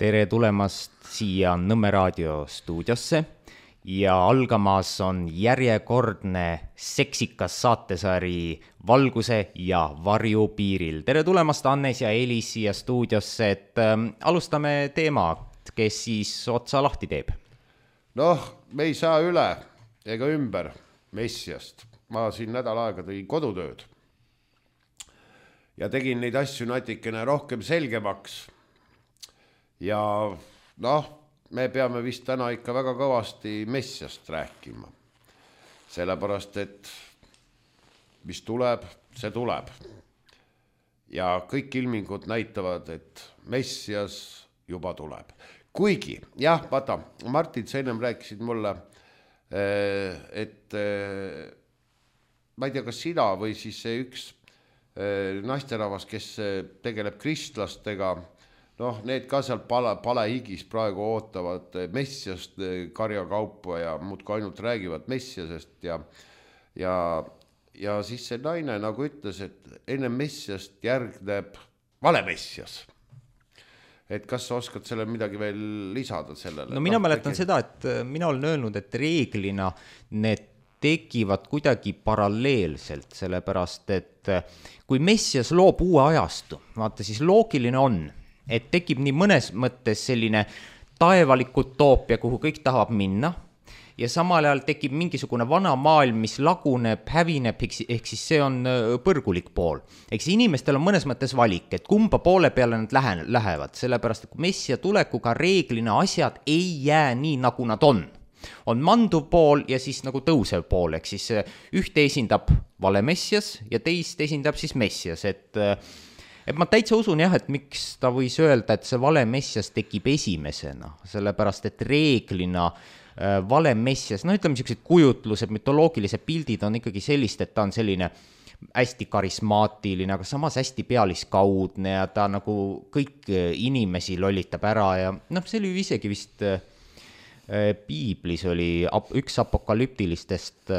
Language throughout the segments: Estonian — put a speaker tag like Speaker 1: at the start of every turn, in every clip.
Speaker 1: Tere tulemast siia Nõmme raadio stuudiosse ja algamas on järjekordne seksikas saatesari Valguse ja varju piiril. Tere tulemast Annes ja Elis siia stuudiosse, et alustame teema, kes siis otsa lahti teeb.
Speaker 2: Noh, me ei saa üle ega ümber Messiast. Ma siin nädal aega tõin kodutööd ja tegin neid asju natikene rohkem selgemaks. Ja noh, me peame vist täna ikka väga kõvasti Messiast rääkima. Sellepärast, et mis tuleb, see tuleb. Ja kõik ilmingud näitavad, et Messias juba tuleb. Kuigi, jah, vaata, Martin, sa ennem rääkisid mulle, et ma ei tea, kas sina või siis see üks naisterahvas, kes tegeleb kristlastega, noh, need ka seal palehigis praegu ootavad Messiast karjakaupa ja muudkui ainult räägivad Messiasest ja siis see naine nagu ütles, et enne Messiast järgneb vale Messias. Et kas sa oskad selle midagi veel lisada sellele?
Speaker 1: No mina mäletan seda, et mina olen öelnud, et reeglina need tekivad kuidagi paralleelselt, sellepärast, et kui Messias loob uue ajastu, vaata siis loogiline on, et tekib nii mõnes mõttes selline taevalik utoopia, kuhu kõik tahab minna, ja samal ajal tekib mingisugune vana maailm, mis laguneb, hävineb, ehk siis see on põrgulik pool. Ehk siis inimestel on mõnes mõttes valik, et kumba poole peale nad lähevad, sellepärast, et kui Messia tulekuga reeglina asjad ei jää nii, nagu nad on manduv pool ja siis nagu tõusev pool, ehk siis ühte esindab vale Messias ja teist esindab siis Messias, et ma täitsa usun jah, et miks ta võis öelda, et see vale Messias tekib esimesena, sellepärast et reeglina vale Messias, no ütleme sellised kujutlused, mütoloogilised pildid on ikkagi sellist, et ta on selline hästi karismaatiline, aga samas hästi pealiskaudne ja ta nagu kõik inimesi lollitab ära ja noh, see oli isegi vist piiblis oli üks apokalüptilistest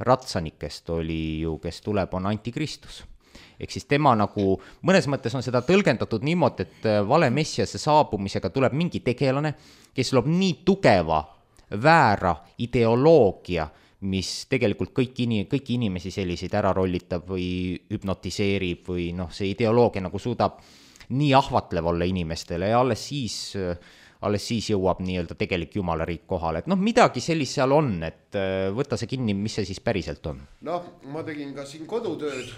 Speaker 1: ratsanikest oli ju, kes tuleb, on antikristus. Ehk siis tema nagu, mõnes mõttes on seda tõlgendatud niimoodi, et vale Messiase saabumisega tuleb mingi tegelane, kes loob nii tugeva väära ideoloogia, mis tegelikult kõiki inimesi selliseid ära rollitab või hüpnotiseerib või noh, see ideoloogia nagu suudab nii ahvatlev olla inimestele ja alles siis jõuab nii-öelda tegelik jumalariik kohale. Et noh, midagi sellist seal on, et võtta see kinni, mis see siis päriselt on.
Speaker 2: Noh, ma tegin ka siin kodutööd,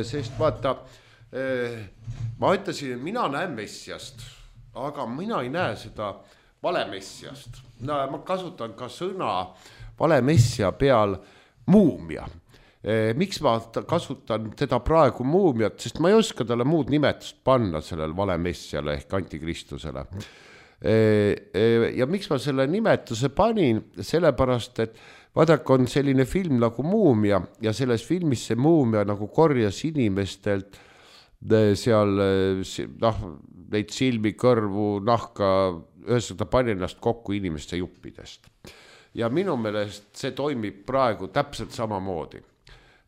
Speaker 2: sest vaata, ma ütlesin, et mina näen Messiast, aga mina ei näe seda vale Messiast. No, ma kasutan ka sõna vale Messia peal muumia. Miks ma kasutan teda praegu muumiat, sest ma ei oska talle muud nimetust panna sellel vale Messiale ehk antikristusele. Ja miks ma selle nimetuse panin, sellepärast, et vaadake, on selline film nagu Muumia ja selles filmis see muumia nagu korjas inimestelt seal neid silmi, kõrvu, nahka, ühesõnaga pani ennast kokku inimeste juppidest. Ja minu meelest see toimib praegu täpselt samamoodi.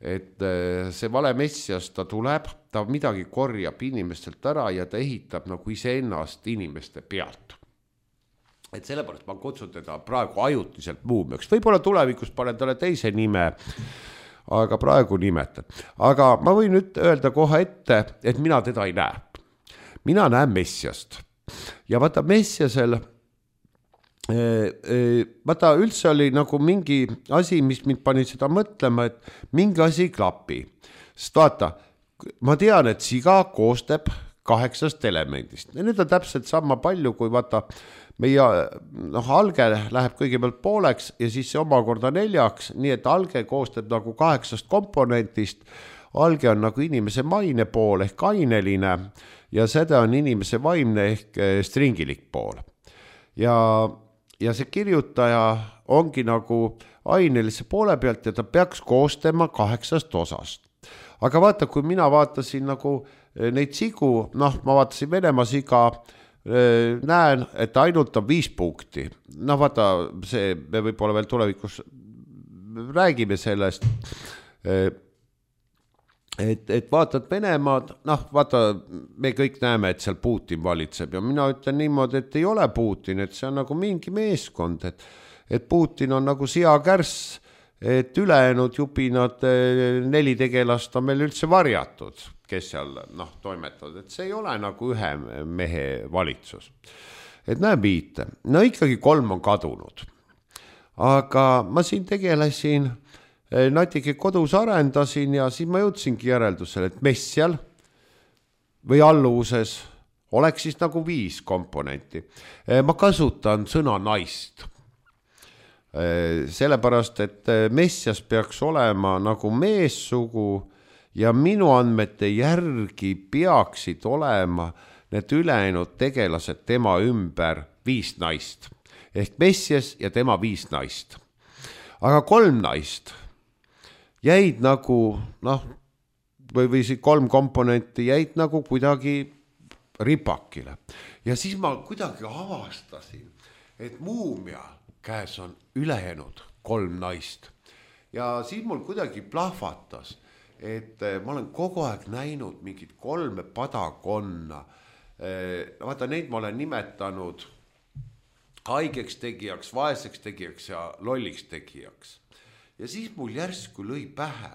Speaker 2: Et see vale Messias, ta tuleb, ta midagi korjab inimestelt ära ja ta ehitab nagu iseennast inimeste pealt. Et sellepärast ma kutsun teda praegu ajutiselt muumiaks. Võib-olla tulevikus panen talle teise nime, aga praegu nimetan. Aga ma võin nüüd öelda kohe ette, et mina teda ei näe. Mina näen Messiast. Ja vaata Messiasel, vaata üldse oli nagu mingi asi, mis mind pani seda mõtlema, et mingi asi ei klapi. Sest vaata, ma tean, et siga koostab 8 elemendist. Ja need on täpselt sama palju, kui vaata meie alge läheb kõigepealt pooleks ja siis see omakorda 4, nii et alge koostab nagu 8 komponentist. Alge on nagu inimese maine pool ehk aineline ja seda on inimese vaimne ehk stringilik pool. Ja see kirjutaja ongi nagu ainelise poole pealt ja ta peaks koostama 8 osast. Aga vaata, kui mina vaatasin nagu neid sigu, noh, ma vaatasin Venemaa siga, näen, et ainult on 5 punkti. No vaata, see, me võib-olla veel tulevikus räägime sellest. et vaatad Venemaad, noh, vaata, me kõik näeme, et seal Putin valitseb ja mina ütlen niimoodi, et ei ole Putin, et see on nagu mingi meeskond, et Putin on nagu seakärss, et ülejäänud jupinad 4 tegelast on meil üldse varjatud, kes seal toimetavad, et see ei ole nagu ühe mehe valitsus. Et näe viite, no ikkagi 3 on kadunud, aga ma siin tegelesin, natuke kodus arendasin ja siis ma jõudsingi järeldusele, et messjal või alluvuses oleks siis nagu 5 komponenti. Ma kasutan sõna naist. Sellepärast, et messjas peaks olema nagu meessugu ja minu andmete järgi peaksid olema need ülejäänud tegelased tema ümber 5 naist. Ehk messjas ja tema 5 naist. Aga 3 naist jäid nagu, või 3 komponenti jäid nagu kuidagi ripakile. Ja siis ma kuidagi avastasin, et muumia käes on ülejäänud 3 naist. Ja siis mul kuidagi plahvatas, et ma olen kogu aeg näinud mingit 3 padakonna. Vaata, neid ma olen nimetanud haigeks tegijaks, vaeseks tegijaks ja lolliks tegijaks. Ja siis mul järsku lõi pähe,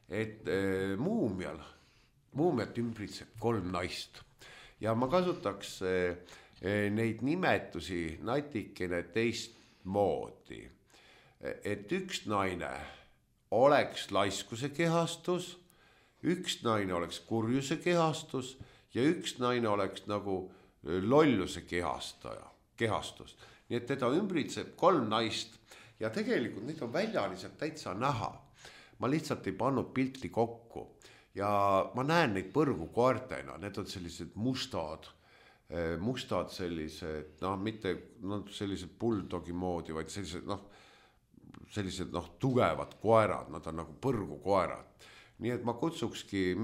Speaker 2: et muumiat ümbritseb 3 naist. Ja ma kasutaks neid nimetusi natikene teistmoodi. Et 1 naine oleks laiskuse kehastus, 1 naine oleks kurjuse kehastus ja 1 naine oleks nagu lolluse kehastus. Nii et teda ümbritseb 3 naist. Ja tegelikult neid on väljaliselt täitsa näha. Ma lihtsalt ei pannud pilti kokku. Ja ma näen neid põrgukoertena. Need on sellised mustad sellised, mitte sellised bulldogi moodi, vaid sellised tugevad koerad. Nad on nagu põrgukoerad. Nii et ma kutsukski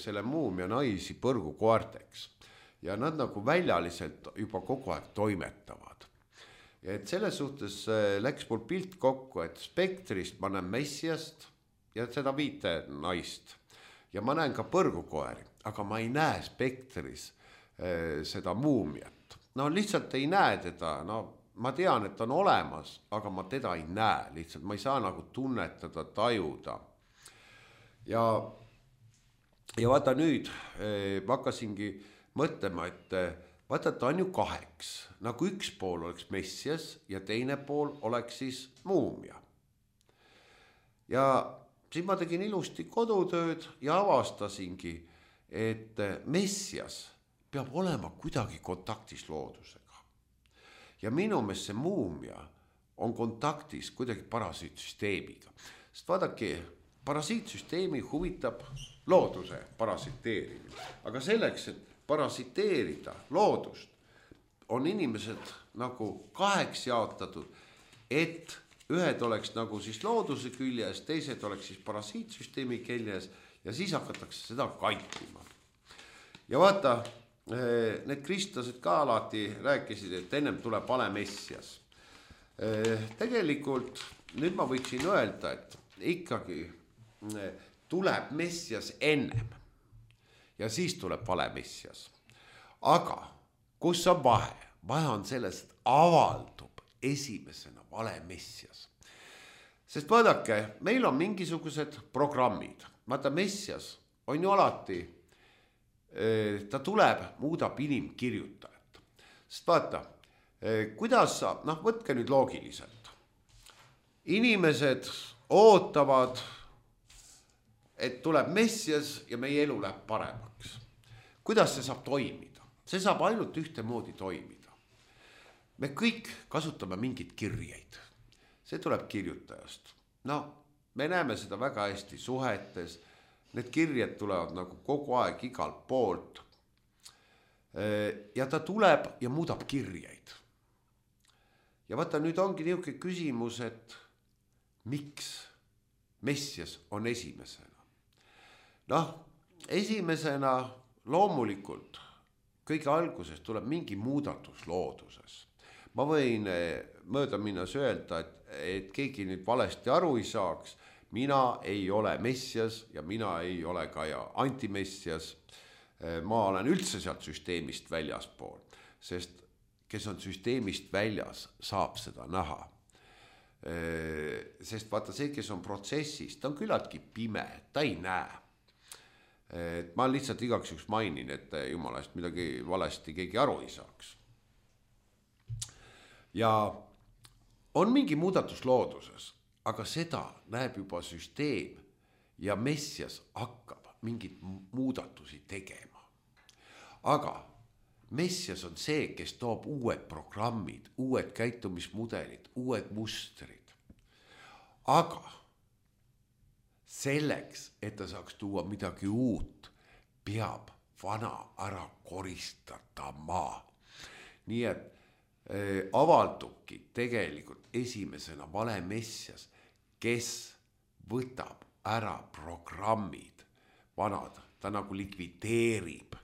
Speaker 2: selle muumia naisi põrgukoerteks. Ja nad nagu väljaliselt juba kogu aeg toimetavad. Et selles suhtes läks mul pilt kokku, et spektrist ma näen messiast ja seda 5 naist. Ja ma näen ka põrgukoeri, aga ma ei näe spektris seda muumiat. Lihtsalt ei näe teda, ma tean, et on olemas, aga ma teda ei näe lihtsalt. Ma ei saa nagu tunnetada, tajuda. Ja vaata nüüd, ma hakkasingi mõtlema, et vaata, ta on ju 2, nagu 1 pool oleks messias ja teine pool oleks siis muumia. Ja siis ma tegin ilusti kodutööd ja avastasingi, et messias peab olema kuidagi kontaktis loodusega. Ja minu meelest see muumia on kontaktis kuidagi parasiitsüsteemiga. Sest vaadake, parasiitsüsteemi huvitab looduse parasiteerimine. Aga selleks, et parasiteerida loodust, on inimesed nagu 2 jaotatud, et ühed oleks nagu siis looduse küljes, teised oleks siis parasiitsüsteemi küljes ja siis hakatakse seda kantima. Ja vaata, need kristlased ka alati rääkisid, et ennem tuleb vale messias. Tegelikult nüüd ma võiksin öelda, et ikkagi tuleb messias ennem. Ja siis tuleb vale messias. Aga kus on vahe? Vahe on selles, et avaldub esimesena vale messias. Sest vaadake, meil on mingisugused programmid. Vaata, messias on ju alati, ta tuleb, muudab inimkirjutajat. Sest vaata, kuidas saab, võtke nüüd loogiliselt. Inimesed ootavad, et tuleb messias ja meie elu läheb paremaks. Kuidas see saab toimida? See saab ainult ühtemoodi toimida. Me kõik kasutame mingid kirjeid. See tuleb kirjutajast. Me näeme seda väga hästi suhetes. Need kirjed tulevad nagu kogu aeg igalt poolt. Ja ta tuleb ja muudab kirjeid. Ja vaata, nüüd ongi niisugune küsimus, et miks messias on esimesena? Esimesena loomulikult kõige alguses tuleb mingi muudatus looduses. Ma võin mööda minnes öelda, et keegi nüüd valesti aru ei saaks. mina ei ole messias ja mina ei ole ka antimessias. Ma olen üldse sealt süsteemist väljaspool, sest kes on süsteemist väljas, saab seda näha. Sest vaata see, kes on protsessis, ta on küllaltki pime, ta ei näe. Ma lihtsalt igaks juhuks mainin, et jumala eest midagi valesti keegi aru ei saaks. Ja on mingi muudatus looduses, aga seda näeb juba süsteem ja messias hakkab mingit muudatusi tegema. Aga messias on see, kes toob uued programmid, uued käitumismudelid, uued mustrid. Aga selleks, et ta saaks tuua midagi uut, peab vana ära koristada. Nii et avaldubki tegelikult esimesena vale messias, kes võtab ära programmid vanad, ta nagu likvideerib.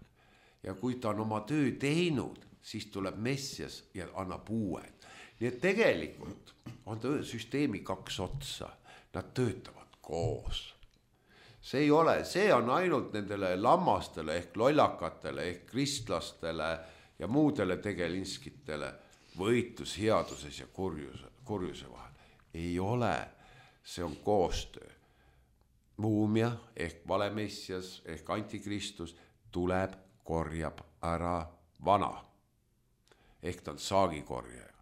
Speaker 2: Ja kui ta on oma töö teinud, siis tuleb messias ja annab uued. Nii et tegelikult on süsteemi kaks otsa, nad töötavad koos. See ei ole, see on ainult nendele lammastele ehk lollakatele ehk kristlastele ja muudele tegelinskitele võitlus headuses ja kurjuse vahel. Ei ole, see on koostöö. Muumia ehk valemessias ehk antikristus tuleb, korjab ära vana. Ehk ta on saagikorjaja.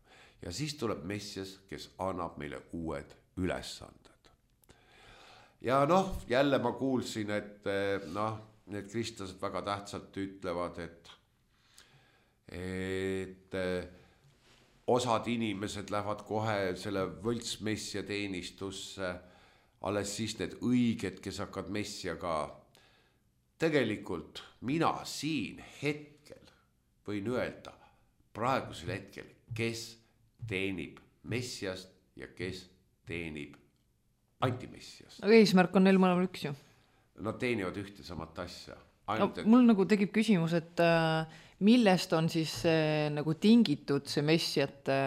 Speaker 2: Ja siis tuleb messias, kes annab meile uued ülesanded. Ja jälle ma kuulsin, et need kristlased väga tähtsalt ütlevad, et osad inimesed lähevad kohe selle võltsmessia teenistusse, alles siis need õiged, kes hakkavad messiaga. Tegelikult mina siin hetkel võin öelda praegusel hetkel, kes teenib messiast ja kes teenib antimessiast.
Speaker 3: Aga eesmärk on neil mõlemal üks ju.
Speaker 2: Nad teenivad ühte samat asja.
Speaker 3: Mul nagu tekib küsimus, et millest on siis nagu tingitud see messiate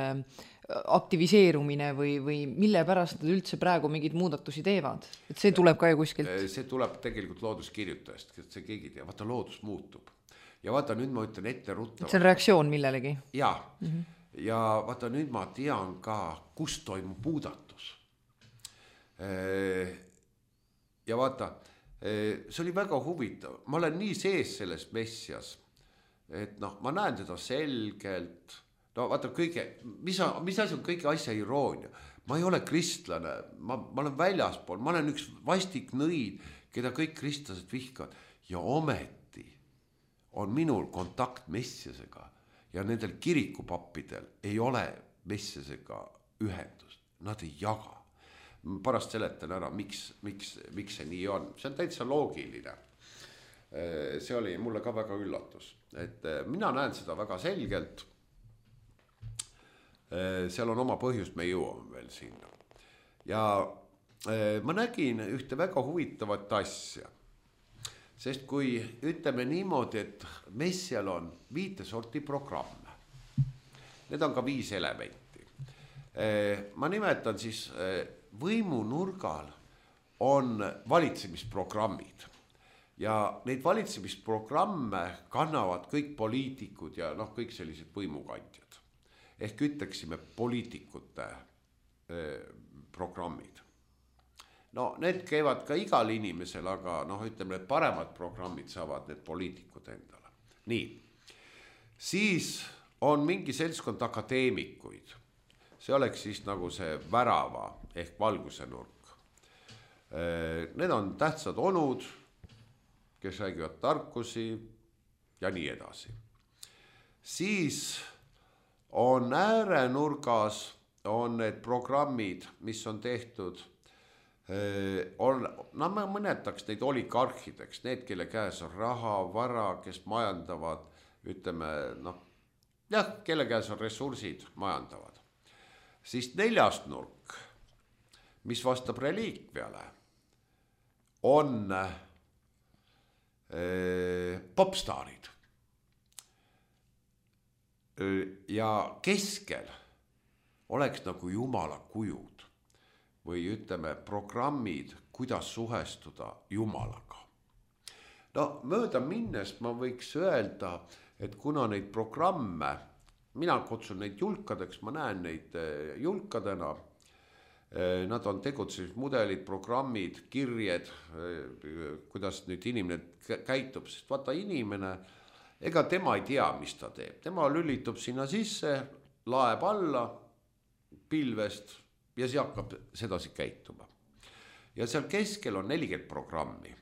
Speaker 3: aktiviseerumine või mille pärast nad üldse praegu mingid muudatusi teevad? Et see tuleb ka ju kuskilt.
Speaker 2: See tuleb tegelikult looduskirjutajast, et see keegi tea. Vaata, loodus muutub. Ja vaata, nüüd ma ütlen ette ruttavalt.
Speaker 3: See on reaktsioon millelegi.
Speaker 2: Ja, ja vaata, nüüd ma tean ka, kus toimub muudatus. Ja vaata, see oli väga huvitav. Ma olen nii sees selles messias, et ma näen teda selgelt. No vaata mis asi on kõige asja iroonia. Ma ei ole kristlane, ma olen väljaspool, ma olen üks vastik nõid, keda kõik kristlased vihkavad. Ja ometi on minul kontakt messiasega ja nendel kirikupappidel ei ole messiasega ühendust. Nad ei jaga. Pärast seletan ära, miks see nii on. See on täitsa loogiline. See oli mulle ka väga üllatus. Et mina näen seda väga selgelt. Seal on oma põhjus, me jõuame veel sinna. Ja ma nägin ühte väga huvitavat asja. Sest kui ütleme niimoodi, et messial on 5 sorti programme. Need on ka 5 elementi. Ma nimetan siis võimunurgal on valitsemisprogrammid. Ja neid valitsemisprogramme kannavad kõik poliitikud ja kõik sellised võimukandjad. Ehk ütleksime poliitikute programmid. Need käivad ka igal inimesel, aga ütleme, need paremad programmid saavad need poliitikud endale. Nii, siis on mingi seltskond akadeemikuid. See oleks siis nagu see värava ehk valguse nurk. Need on tähtsad onud, kes räägivad tarkusi ja nii edasi. Siis on äärenurgas on need programmid, mis on tehtud, ma mõnetaks neid oligarhideks, need, kelle käes on raha, vara, kes majandavad, ütleme, kelle käes on ressursid, majandavad. Siis 4. nurk, mis vastab reliikviale, on popstaarid. Ja keskel oleks nagu jumala kujud või ütleme programmid, kuidas suhestuda Jumalaga. No mööda minnes ma võiks öelda, et kuna neid programme, mina kutsun neid julkadeks, ma näen neid julkadena, nad on tegutsemismudelid, programmid, kirjed, kuidas nüüd inimene käitub, sest vaata inimene, ega tema ei tea, mis ta teeb. Tema lülitub sinna sisse, laeb alla pilvest ja see hakkab sedasi käituma. Ja seal keskel on 40 programmi.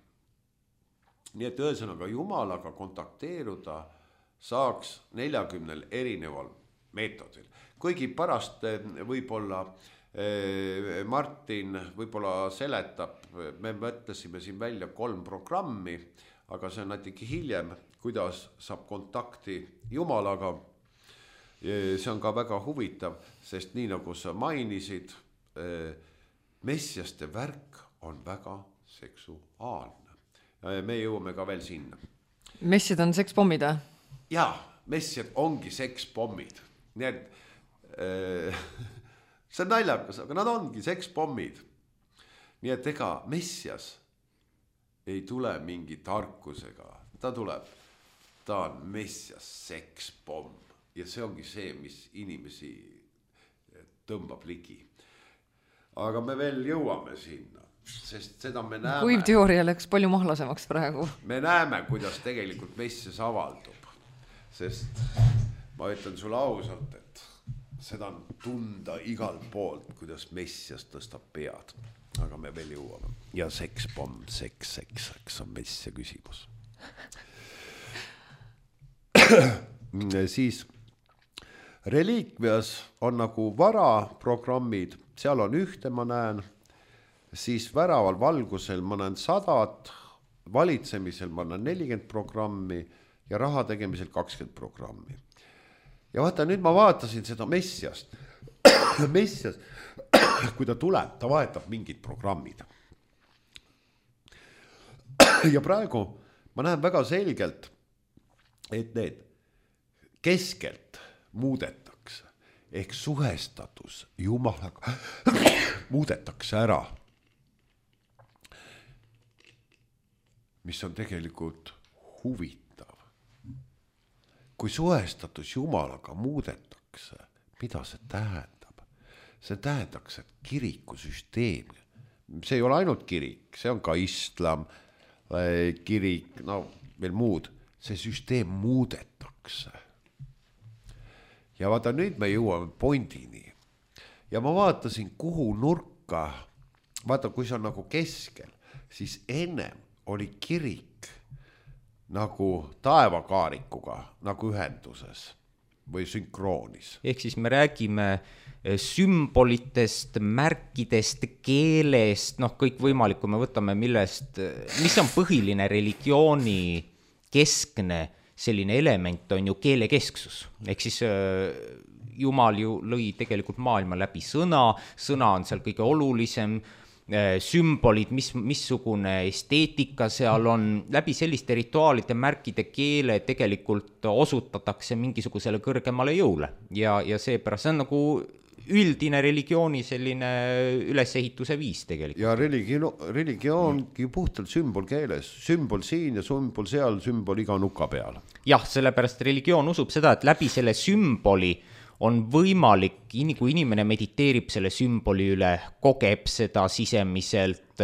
Speaker 2: Nii et ühesõnaga Jumalaga kontakteeruda saaks 40 erineval meetodil. Kuigi pärast võib-olla Martin võib-olla seletab, me mõtlesime siin välja 3 programmi, aga see on natuke hiljem, kuidas saab kontakti Jumalaga. See on ka väga huvitav, sest nii nagu sa mainisid, messiaste värk on väga seksuaalne. Me jõuame ka veel sinna.
Speaker 3: Messiad on sekspommid, või?
Speaker 2: Jaa, messiad ongi sekspommid. Nii et see on naljakas, aga nad ongi sekspommid. Nii et ega messias ei tule mingi tarkusega. Ta on messias sekspomm. Ja see ongi see, mis inimesi tõmbab ligi. Aga me veel jõuame sinna, sest seda me näeme.
Speaker 3: Kuiv teooria läks palju mahlasemaks praegu.
Speaker 2: Me näeme, kuidas tegelikult messias avaldub. Sest ma ütlen sulle ausalt, et seda on tunda igal poolt, kuidas messias tõstab pead. Aga me veel jõuame. Ja sekspomm, seks on messia küsimus. Siis reliikvias on nagu varaprogrammid, seal on ühte ma näen, siis väraval valgusel ma näen 100, valitsemisel ma näen 40 programmi ja raha tegemisel 20 programmi. Ja vaata, nüüd ma vaatasin seda messiast. Messias, kui ta tuleb, ta vahetab mingid programmid. Ja praegu ma näen väga selgelt, et need keskelt muudetakse, ehk suhestatus Jumalaga muudetakse ära. Mis on tegelikult huvitav. Kui suhestatus Jumalaga muudetakse, mida see tähendab? See tähendaks, et kirikusüsteem, see ei ole ainult kirik, see on ka islam, kirik, no veel muud, see süsteem muudetakse. Ja vaata, nüüd me jõuame pointini. Ja ma vaatasin, kuhu nurka, vaata, kui see on nagu keskel, siis ennem oli kirik nagu taevakaarikuga, nagu ühenduses või sünkroonis.
Speaker 1: Ehk siis me räägime sümbolitest, märkidest, keelest, noh, kõik võimalik, kui me võtame millest, mis on põhiline religiooni keskne selline element on ju keelekesksus. Ehk siis Jumal ju lõi tegelikult maailma läbi sõna on seal kõige olulisem, sümbolid, missugune esteetika seal on, läbi selliste rituaalide, märkide, keele tegelikult osutatakse mingisugusele kõrgemale jõule ja seepärast see on nagu üldine religiooni selline ülesehituse viis tegelikult.
Speaker 2: Ja religioongi puhtalt sümbolkeeles, sümbol siin ja sümbol seal, sümbol iga nuka peal.
Speaker 1: Jah, sellepärast religioon usub seda, et läbi selle sümboli on võimalik, kui inimene mediteerib selle sümboli üle, kogeb seda sisemiselt,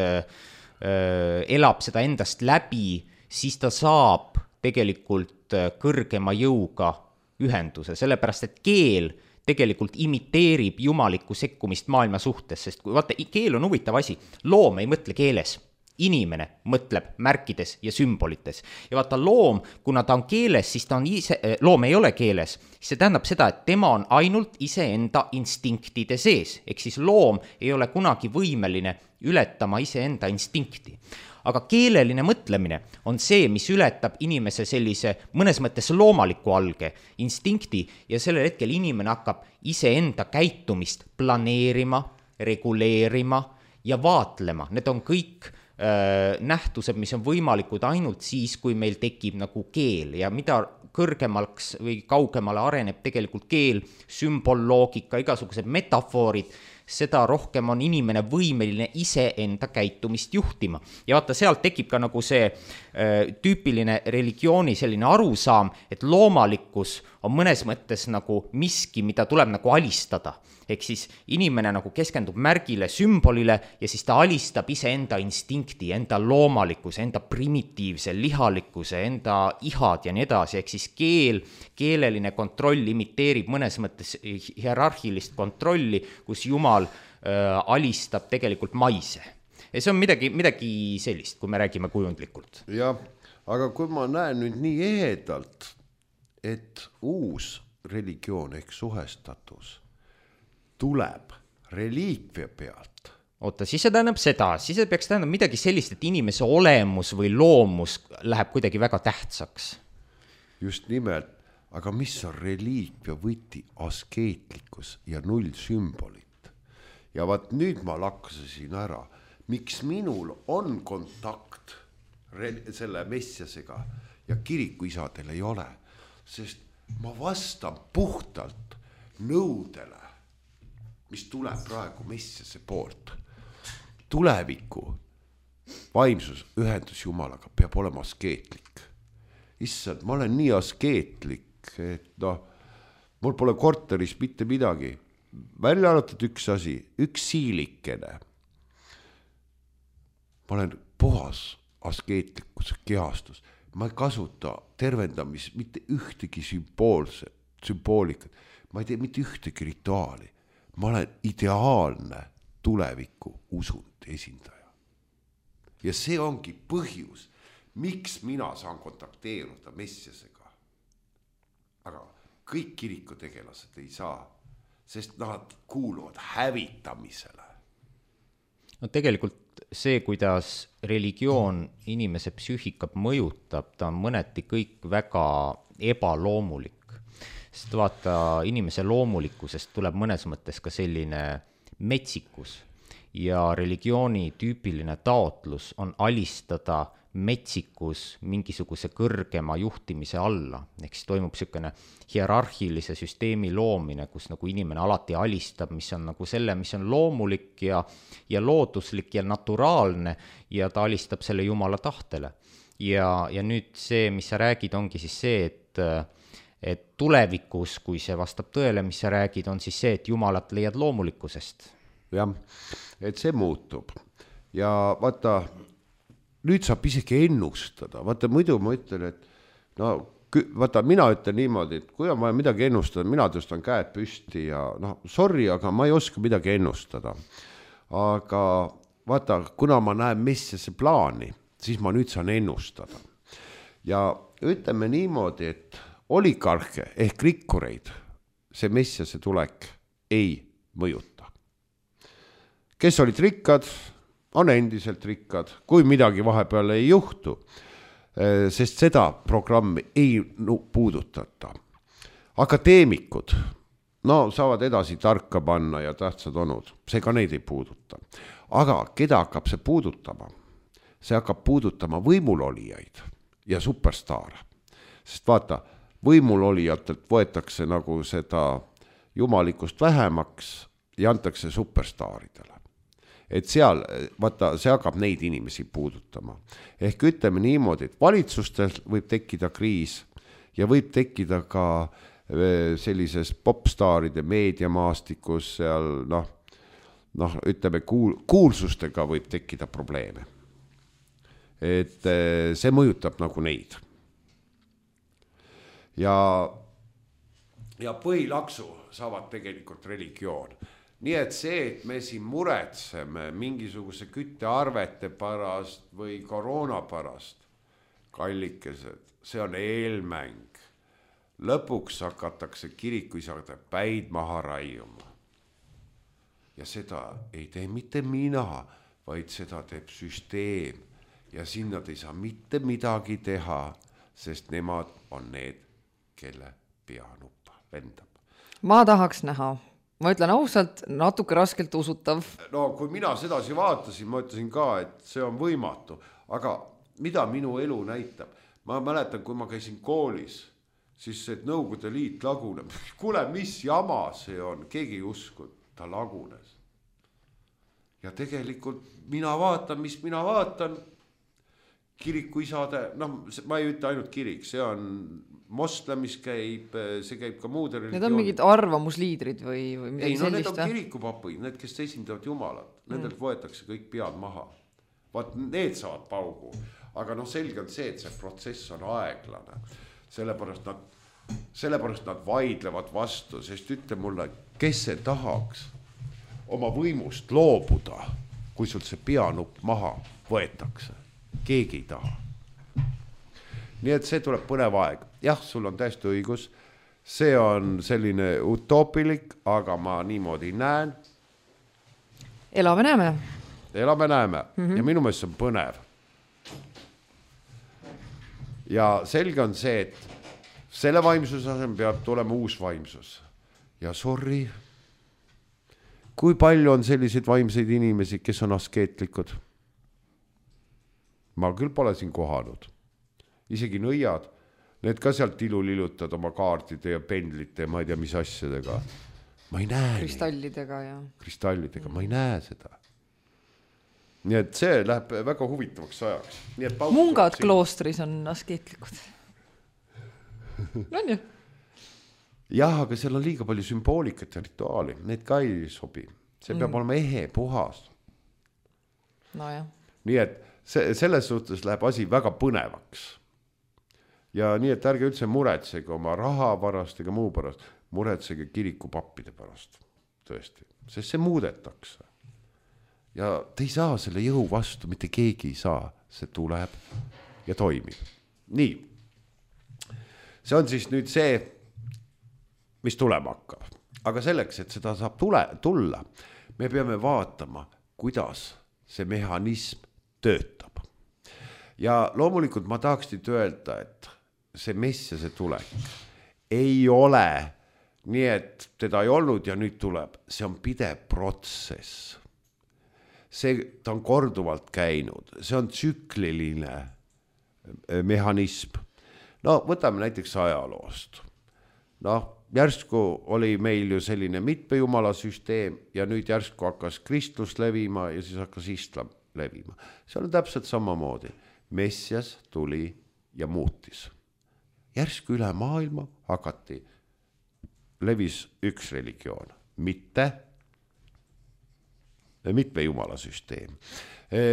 Speaker 1: elab seda endast läbi, siis ta saab tegelikult kõrgema jõuga ühenduse, sellepärast et keel tegelikult imiteerib jumalikku sekkumist maailma suhtes, sest kui vaata, keel on huvitav asi, loom ei mõtle keeles, inimene mõtleb märkides ja sümbolites. Ja vaata, loom, kuna ta on keeles, siis ta on loom ei ole keeles, see tähendab seda, et tema on ainult iseenda instinktide sees, ehk siis loom ei ole kunagi võimeline ületama iseenda instinkti. Aga keeleline mõtlemine on see, mis ületab inimese sellise mõnes mõttes loomaliku alge instinkti ja sellel hetkel inimene hakkab iseenda käitumist planeerima, reguleerima ja vaatlema. Need on kõik nähtused, mis on võimalikud ainult siis, kui meil tekib nagu keel ja mida kõrgemaks või kaugemale areneb tegelikult keel, sümbolloogika, igasugused metafoorid, seda rohkem on inimene võimeline iseenda käitumist juhtima. Ja vaata, sealt tekib ka nagu see tüüpiline religiooni selline arusaam, et loomalikkus on mõnes mõttes nagu miski, mida tuleb nagu alistada. Ehk siis inimene nagu keskendub märgile, sümbolile ja siis ta alistab iseenda instinkti, enda loomalikkuse, enda primitiivse lihalikkuse, enda ihad ja nii edasi. Ehk siis keeleline kontroll imiteerib mõnes mõttes hierarhilist kontrolli, kus Jumal alistab tegelikult maise. Ja see on midagi sellist, kui me räägime kujundlikult.
Speaker 2: Jah, aga kui ma näen nüüd nii ehedalt, et uus religioon ehk suhestatus tuleb reliikvia pealt.
Speaker 1: Oota, siis see tähendab seda, siis see peaks tähendab midagi sellist, et inimese olemus või loomus läheb kuidagi väga tähtsaks.
Speaker 2: Just nimelt, aga mis on reliikvia võti? Askeetlikkus ja null sümbolit. Ja vaat nüüd ma laksasin ära, miks minul on kontakt selle messiasega ja kirikuisadel ei ole, sest ma vastan puhtalt nõudele, mis tuleb praegu messiase poolt. Tuleviku vaimsus, ühendus Jumalaga peab olema askeetlik. Issand, ma olen nii askeetlik, et mul pole korteris mitte midagi. Välja arvatud üks asi, üks siilikene. Ma olen puhas askeetlikkuse kehastus. Ma ei kasuta tervendamis mitte ühtegi sümboolikat. Ma ei tee mitte ühtegi rituaali. Ma olen ideaalne tuleviku usund esindaja. Ja see ongi põhjus, miks mina saan kontakteeruda messiasega. Aga kõik kirikutegelased ei saa, sest nad kuuluvad hävitamisele.
Speaker 1: No tegelikult see, kuidas religioon inimese psüühikat mõjutab, ta on mõneti kõik väga ebaloomulik. Sest vaata, inimese loomulikkusest tuleb mõnes mõttes ka selline metsikus ja religiooni tüüpiline taotlus on alistada metsikus mingisuguse kõrgema juhtimise alla. Ehk siis toimub selline hierarhilise süsteemi loomine, kus nagu inimene alati alistab, mis on nagu selle, mis on loomulik ja looduslik ja naturaalne ja ta alistab selle Jumala tahtele. Ja nüüd see, mis sa räägid, ongi siis see, et tulevikus, kui see vastab tõele, mis sa räägid, on siis see, et Jumalat leiad loomulikkusest.
Speaker 2: Jah, et see muutub. Ja vaata, nüüd saab isegi ennustada. Vaata, muidu ma ütlen, et vaata, mina ütlen niimoodi, et kui on vaja midagi ennustada, mina tõstan käed püsti ja sorry, aga ma ei oska midagi ennustada. Aga vaata, kuna ma näen messiase plaani, siis ma nüüd saan ennustada. Ja ütleme niimoodi, et oligarhe ehk rikkureid see messiase tulek ei mõjuta. Kes olid rikkad, on endiselt rikkad, kui midagi vahepeal ei juhtu, sest seda programmi ei puudutata. Akadeemikud, saavad edasi tarka panna ja tähtsad onud, see ka neid ei puuduta. Aga keda hakkab see puudutama? See hakkab puudutama võimulolijaid ja superstaare. Sest vaata, võimulolijatelt võetakse nagu seda jumalikust vähemaks ja antakse superstaaridele. Et seal, vaata, see hakkab neid inimesi puudutama. Ehk ütleme niimoodi, et valitsustel võib tekkida kriis ja võib tekkida ka sellises popstaaride meediamaastikus seal, ütleme, kuulsustega võib tekkida probleeme. Et see mõjutab nagu neid. Ja põhilaksu saavad tegelikult religioon. Nii et see, et me siin muretseme mingisuguse küttearvete pärast või koroona pärast, kallikesed, see on eelmäng. Lõpuks hakatakse kirikuisade päid maha raiuma. Ja seda ei tee mitte mina, vaid seda teeb süsteem. Ja siin nad ei saa mitte midagi teha, sest nemad on need, kelle peanuppa lendab.
Speaker 3: Ma tahaks näha. Ma ütlen ausalt, natuke raskelt usutav.
Speaker 2: No kui mina sedasi vaatasin, ma ütlesin ka, et see on võimatu. Aga mida minu elu näitab? Ma mäletan, kui ma käisin koolis, siis see Nõukogude Liit laguneb. Kuule, mis jama see on? Keegi ei usku, ta lagunes. ja tegelikult mina vaatan, mis mina vaatan, kirikuisade, ma ei ütle ainult kirik, see on moslem, mis käib, see käib ka muude religioonid.
Speaker 3: Need on mingid arvamusliidrid või midagi
Speaker 2: ei, no
Speaker 3: sellist?
Speaker 2: Need on kirikupapid, need, kes esindavad Jumalat, nendelt võetakse kõik pead maha. Vaat need saavad paugu, aga selge on see, et see protsess on aeglane. Sellepärast nad vaidlevad vastu, sest ütle mulle, kes see tahaks oma võimust loobuda, kui sul see peanupp maha võetakse. Keegi ei taha. Nii et see tuleb põnev aeg. Jah, sul on täiesti õigus. See on selline utoopilik, aga ma niimoodi näen.
Speaker 3: Elame näeme.
Speaker 2: Ja minu meelest see on põnev. Ja selge on see, et selle vaimsuse asemel peab tulema uus vaimsus. Ja sorry, kui palju on selliseid vaimseid inimesi, kes on askeetlikud? Ma küll pole siin kohanud. Isegi nõiad, need ka sealt ilulilutad oma kaartide ja pendlite ja ma ei tea, mis asjadega. Ma ei näe
Speaker 3: kristallidega ja
Speaker 2: kristallidega, ma ei näe seda. Nii et see läheb väga huvitavaks ajaks. Nii et
Speaker 3: mungad kloostris on askeetlikud. On ju?
Speaker 2: Jah, aga seal on liiga palju sümboolikat ja rituaali. Need ka ei sobi. See peab olema ehe, puhas.
Speaker 3: No jah.
Speaker 2: Nii et selles suhtes läheb asi väga põnevaks. Ja nii, et ärge üldse muretsege oma raha pärast ega muu pärast. Muretsege kirikupappide pärast. Tõesti. Sest see muudetakse. Ja te ei saa selle jõu vastu, mitte keegi ei saa. See tuleb ja toimib. Nii. See on siis nüüd see, mis tulema hakkab. Aga selleks, et seda saab tulla, me peame vaatama, kuidas see mehhanism töötab. Ja loomulikult ma tahaks teid öelda, et see Messiase tulek ei ole nii, et teda ei olnud ja nüüd tuleb. See on pidev protsess. Ta on korduvalt käinud. See on tsükliline mehhanism. No võtame näiteks ajaloost. Järsku oli meil ju selline mitmejumala süsteem ja nüüd järsku hakkas kristlus levima ja siis hakkas islam levima. See on täpselt samamoodi. Messias tuli ja muutis. Järsku üle maailma levis üks religioon, mitte mitmejumala süsteem.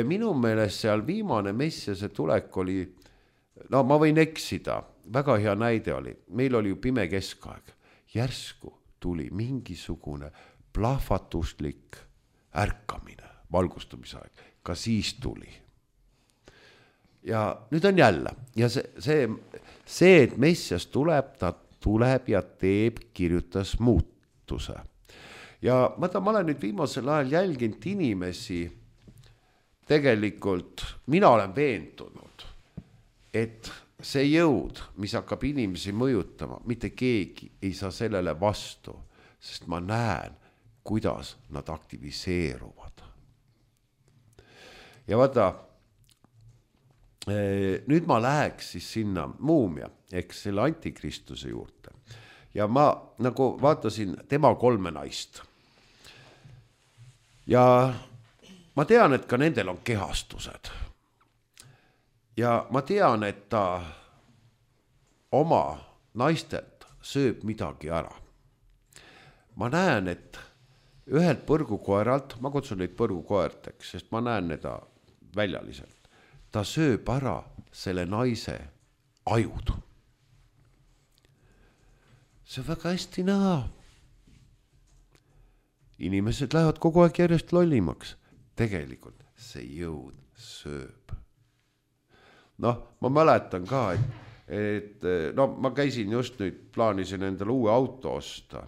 Speaker 2: Minu meelest seal viimane Messiase tulek oli, ma võin eksida, väga hea näide oli, meil oli ju pime keskaeg. Järsku tuli mingisugune plahvatuslik ärkamine, valgustumisaeg, ka siis tuli. Ja nüüd on jälle, ja see, et Messias tuleb, ta tuleb ja kirjutas muutuse. Ja ma olen nüüd viimasel ajal jälginud inimesi, tegelikult mina olen veendunud, et see jõud, mis hakkab inimesi mõjutama, mitte keegi ei saa sellele vastu, sest ma näen, kuidas nad aktiviseeruvad. Ja vaata, nüüd ma läheks siis sinna muumia, eks selle antikristuse juurde. Ja ma nagu vaatasin tema 3 naist. Ja ma tean, et ka nendel on kehastused. Ja ma tean, et ta oma naistelt sööb midagi ära. Ma näen, et ühelt põrgukoeralt, ma kutsun neid põrgukoerteks, sest ma näen neid väljaliselt. Ta sööb ära selle naise ajud. See on väga hästi näha. Inimesed lähevad kogu aeg järjest lollimaks. Tegelikult see jõud sööb. Ma mäletan ka, et ma käisin just nüüd, plaanisin endale uue auto osta.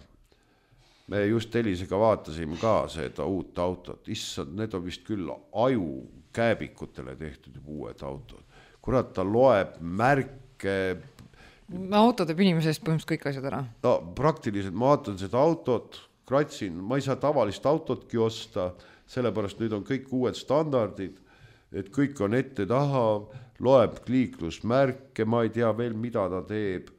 Speaker 2: Me just Elisega vaatasime ka seda uut autot. Issand, need on vist küll aju kääbikutele tehtud uued autod. Kurat, ta loeb märke.
Speaker 3: Auto teeb inimesest põhimõtteliselt kõik asjad ära.
Speaker 2: Praktiliselt ma vaatan seda autot, kratsin, ma ei saa tavalist autotki osta, sellepärast nüüd on kõik uued standardid, et kõik on ette taha, loeb liiklusmärke, ma ei tea veel, mida ta teeb.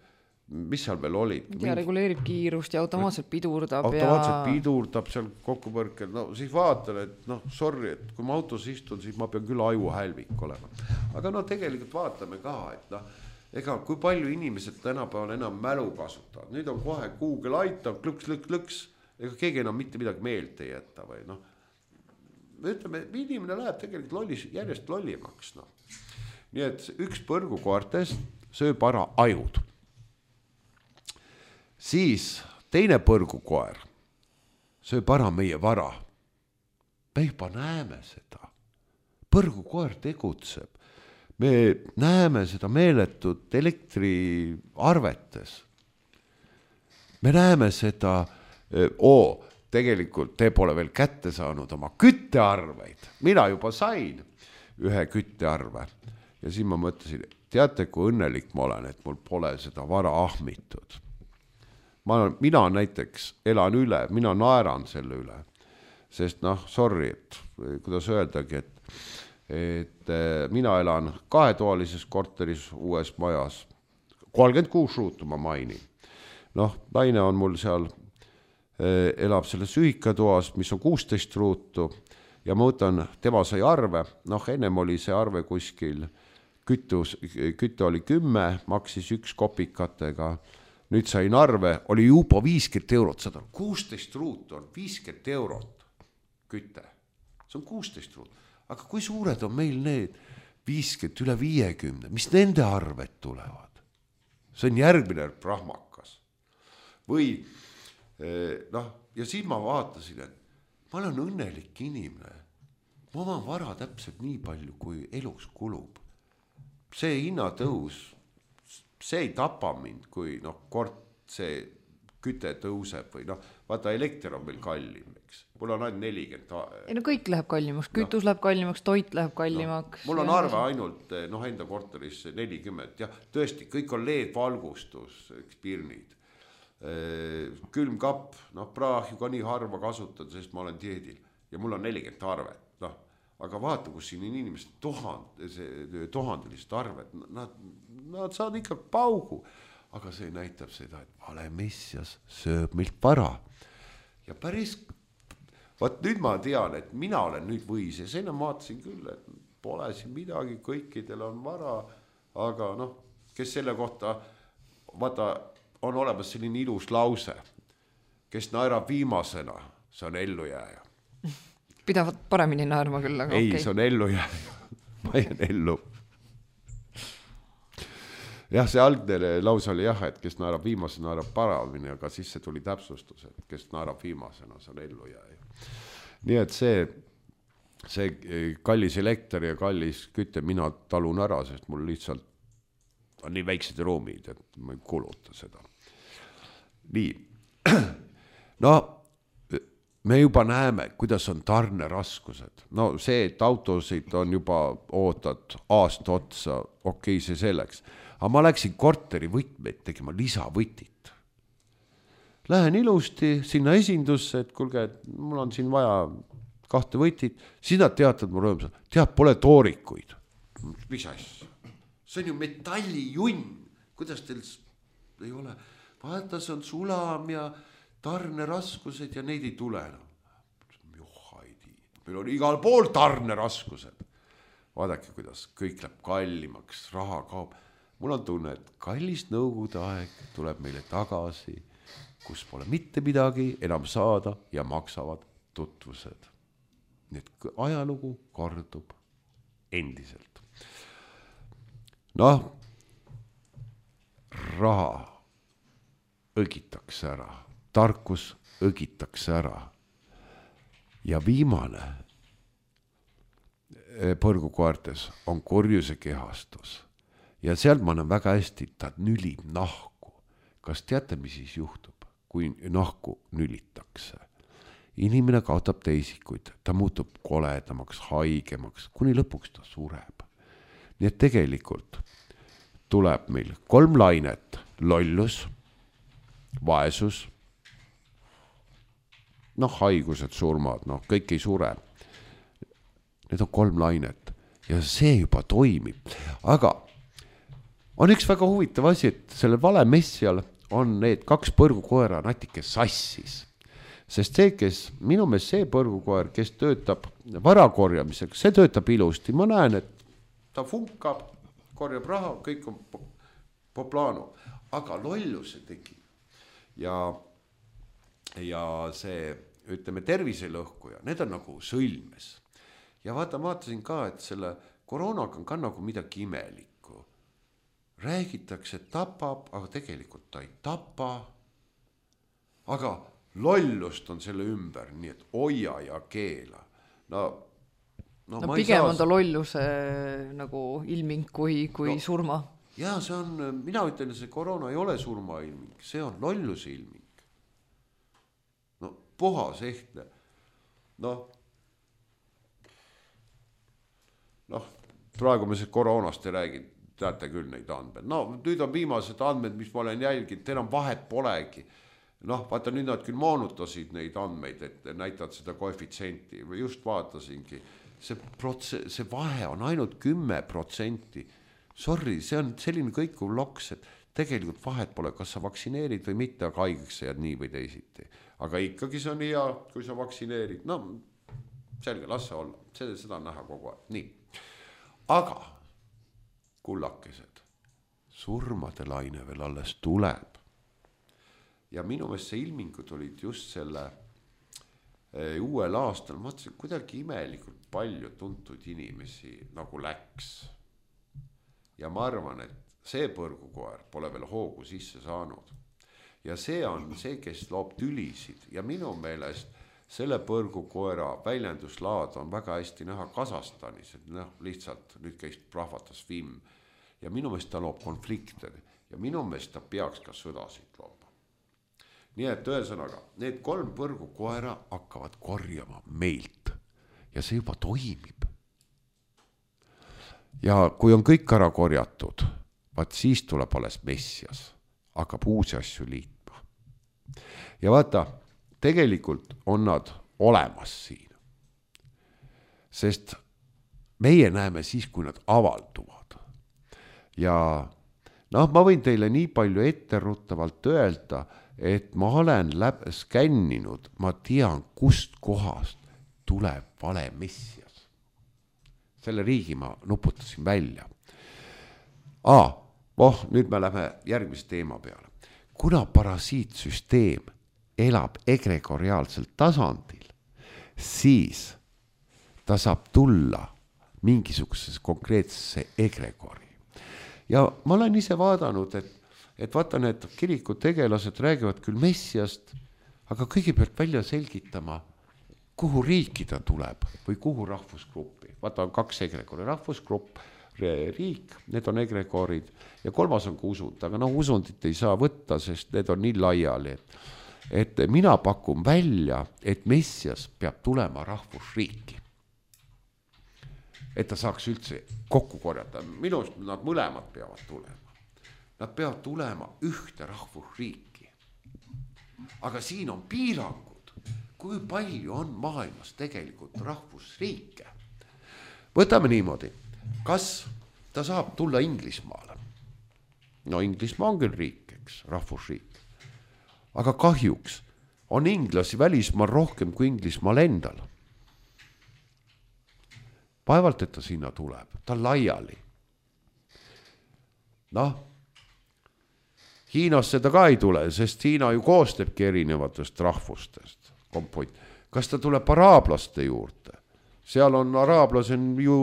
Speaker 2: mis seal veel olid?
Speaker 3: Ja reguleerib kiirust ja automaatselt pidurdab.
Speaker 2: Pidurdab seal kokkupõrkel, no siis vaatan, et sorry, et kui ma autos istun, siis ma pean küll ajuhälvik olema. Aga tegelikult vaatame ka, et ega kui palju inimesed tänapäeval enam mälu kasutavad. Nüüd on kohe Google aitab, klõks, ega keegi enam mitte midagi meelt ei jätta või ütleme, inimene läheb tegelikult järjest lollimaks. Nii et üks põrgukoertest sööb ära ajud. Siis teine põrgukoer sööb ära meie vara. Me juba näeme seda. Põrgukoer tegutseb. Me näeme seda meeletut elektriarvetes. Me näeme seda, tegelikult te pole veel kätte saanud oma küttearveid. Mina juba sain ühe küttearve. Ja siis ma mõtlesin, teate, kui õnnelik ma olen, et mul pole seda vara ahmitud. Mina näiteks elan üle, mina naeran selle üle, sest sorry, et kuidas öeldagi, et mina elan 2-toalises korteris uues majas, 36 ruutu ma mainin. Naine on mul seal, elab selles ühikatoas, mis on 16 ruutu ja ma võtan, tema sai arve, ennem oli see arve kuskil, kütte oli 10, maksis 1 kopikatega, nüüd sain arve, oli juba 50 €, 16 ruutu on 50 € kütte. See on 16 ruutu. Aga kui suured on meil need 50, üle 50, mis nende arved tulevad? See on järgmine prahmakas. Või, ja siis ma vaatasin, et ma olen õnnelik inimene. Ma oman vara täpselt nii palju, kui elus kulub. See hinnatõus, see ei tapa mind, kui kord see küte tõuseb või vaata elekter on meil kallim, eks. Mul on ainult 40.
Speaker 3: Kõik läheb kallimaks, kütus läheb kallimaks, toit läheb kallimaks.
Speaker 2: Mul on arve ainult enda korteris 40 ja tõesti, kõik on LED-valgustus, pirnid. Külmkapp, praahju ka nii harva kasutada, sest ma olen dieedil ja mul on 40 arvet. Aga vaata, kus siin on inimesed tuhandelised arved, nad saavad ikka paugu, aga see näitab seda, et vale messias sööb meilt vara. Ja päris, nüüd ma tean, et mina olen nüüd võis ja enne vaatasin küll, et pole siin midagi, kõikidel on vara, aga kes selle kohta, vaata, on olemas selline ilus lause, kes naerab viimasena, see on ellujääja.
Speaker 3: Pidavad paremini naerma küll, aga
Speaker 2: ei, see on ellujääja, ma jään ellu. Jah, see algne lause oli et kes naerab viimasena, naerab paremini, aga siis see tuli täpsustus, et kes naerab viimasena, see on ellujääja. Nii et see kallis elekter ja kallis kütte mina talun ära, sest mul lihtsalt on nii väiksed ruumid, et ma ei kuluta seda. Nii, me juba näeme, kuidas on tarneraskused. See, et autosid on juba ootad aasta otsa, okei, see selleks. Aga ma läksin korteri võtmeid tegema lisavõtit. Lähen ilusti sinna esindusse, et kuulge, mul on siin vaja 2 võtit. Siis nad teatavad mu rõõmsalt, pole toorikuid. Mis asja? See on ju metallijunn. Kuidas teil ei ole? Vaata, see on sulam ja tarneraskused ja neid ei tule enam. Meil on igal pool tarneraskused. Vaadake, kuidas kõik läheb kallimaks, raha kaob. Mul on tunne, et kallis nõukogude aeg tuleb meile tagasi, kus pole mitte midagi enam saada ja maksavad tutvused. Nii et ajalugu kordub endiselt. Raha õgitakse ära, tarkus õgitakse ära. Ja viimane põrgukoertes on kurjuse kehastus. Ja sealt ma näen väga hästi, ta nülib nahku. Kas teate, mis siis juhtub, kui nahku nülitakse? Inimene kaotab teisikuid, ta muutub koledamaks, haigemaks, kuni lõpuks ta sureb. Nii et tegelikult tuleb meil 3 lainet, lollus, vaesus, haigused, surmad, kõik ei sure. Need on 3 lainet ja see juba toimib. Aga on üks väga huvitav asi, et sellel valemessial on need 2 põrgukoera natuke sassis. Sest see, kes, minu meelest see põrgukoer, kes töötab varakorjamisega, see töötab ilusti. Ma näen, et ta funkab, korjab raha, kõik on poplano. Aga lolluse tegi. Ja see, ütleme, terviselõhkuja, need on nagu sõlmes. Ja vaatasin ka, et selle koroonaga on ka nagu midagi imelikku. Räägitakse, et tapab, aga tegelikult ta ei tapa. Aga lollust on selle ümber, nii et hoia ja keela.
Speaker 3: No pigem on ta lolluse nagu ilming kui surma.
Speaker 2: Ja see on, mina ütlen, see koroona ei ole surma ilming, see on lolluse ilming. No puhas ehtne. Praegu me see koroonast ei räägi, teate küll neid andmed. Nüüd on viimased andmed, mis ma olen jälginud, enam vahet polegi. Vaata, nüüd nad küll moonutasid neid andmeid, et näitavad seda koefitsienti. Just vaatasingi, see vahe on ainult 10%. Sorry, see on selline kõikuv loks, et tegelikult vahet pole, kas sa vaktsineerid või mitte, aga haigeks sa jääd nii või teisiti. Aga ikkagi see on hea, kui sa vaktsineerid. Selge, las see olla. Seda on näha kogu aeg. Nii. Aga kullakesed, surmade laine veel alles tuleb. Ja minu meelest see ilmingud olid just selle uuel aastal. Ma mõtlesin, kuidagi imelikult palju tuntud inimesi nagu läks. Ja ma arvan, et see põrgukoer pole veel hoogu sisse saanud. Ja see on see, kes loob tülisid. Ja minu meelest selle põrgukoera väljenduslaad on väga hästi näha Kasahstanis. Et lihtsalt nüüd käis rahvatas film. Ja minu meelest ta loob konflikte. Ja minu meelest ta peaks ka sõdasid looma. Nii et ühesõnaga, need 3 põrgukoera hakkavad korjama meilt. Ja see juba toimib. Ja kui on kõik ära korjatud, vaat siis tuleb alles messias, hakkab uusi asju liitma. Ja vaata, tegelikult on nad olemas siin. Sest meie näeme siis, kui nad avalduvad. Ja ma võin teile nii palju etteruttavalt öelda, et ma olen skänninud, ma tean, kust kohast tuleb vale messias. Selle riigi ma nuputasin välja. Nüüd me läheme järgmise teema peale. Kuna parasiitsüsteem elab egregoriaalsel tasandil, siis ta saab tulla mingisugusesse konkreetsesse egregori. Ja ma olen ise vaadanud, et vaata, need kirikutegelased räägivad küll messiast, aga kõigepealt välja selgitama, kuhu riiki ta tuleb või kuhu rahvusgruppi. Vaata, on 2 egregori, rahvusgrupp, riik, need on egregorid ja 3. on ka usund, aga usundit ei saa võtta, sest need on nii laiali. Et mina pakun välja, et messias peab tulema rahvusriiki. Et ta saaks üldse kokku korjata. Minust nad mõlemad peavad tulema. Nad peavad tulema ühte rahvusriiki. Aga siin on piirangud, kui palju on maailmas tegelikult rahvusriike. Võtame niimoodi, kas ta saab tulla Inglismaale? Inglismaa on küll riik, eks, rahvusriik. Aga kahjuks on inglasi välismaal rohkem kui Inglismaal endal. Vaevalt, et ta sinna tuleb, ta laiali. Hiinasse ta ka ei tule, sest Hiina ju koostebki erinevatest rahvustest. Kas ta tuleb araablaste juurde? Seal on araablased ju,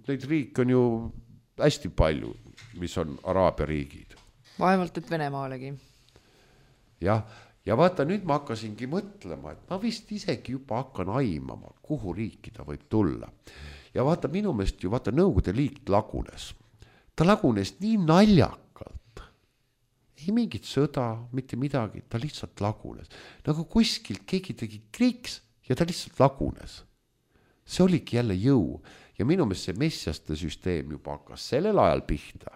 Speaker 2: neid riike on ju hästi palju, mis on araabia riigid.
Speaker 3: Vaevalt, et Venemaalegi.
Speaker 2: Ja vaata, nüüd ma hakkasingi mõtlema, et ma vist isegi juba hakkan aimama, kuhu riiki ta võib tulla. Ja vaata, minu meelest ju, vaata, Nõukogude Liit lagunes. Ta lagunes nii naljakalt. Ei mingit sõda, mitte midagi, ta lihtsalt lagunes. Nagu kuskilt keegi tegi kriiks ja ta lihtsalt lagunes. See oligi jälle jõu ja minu meelest see messiaste süsteem juba hakkas sellel ajal pihta.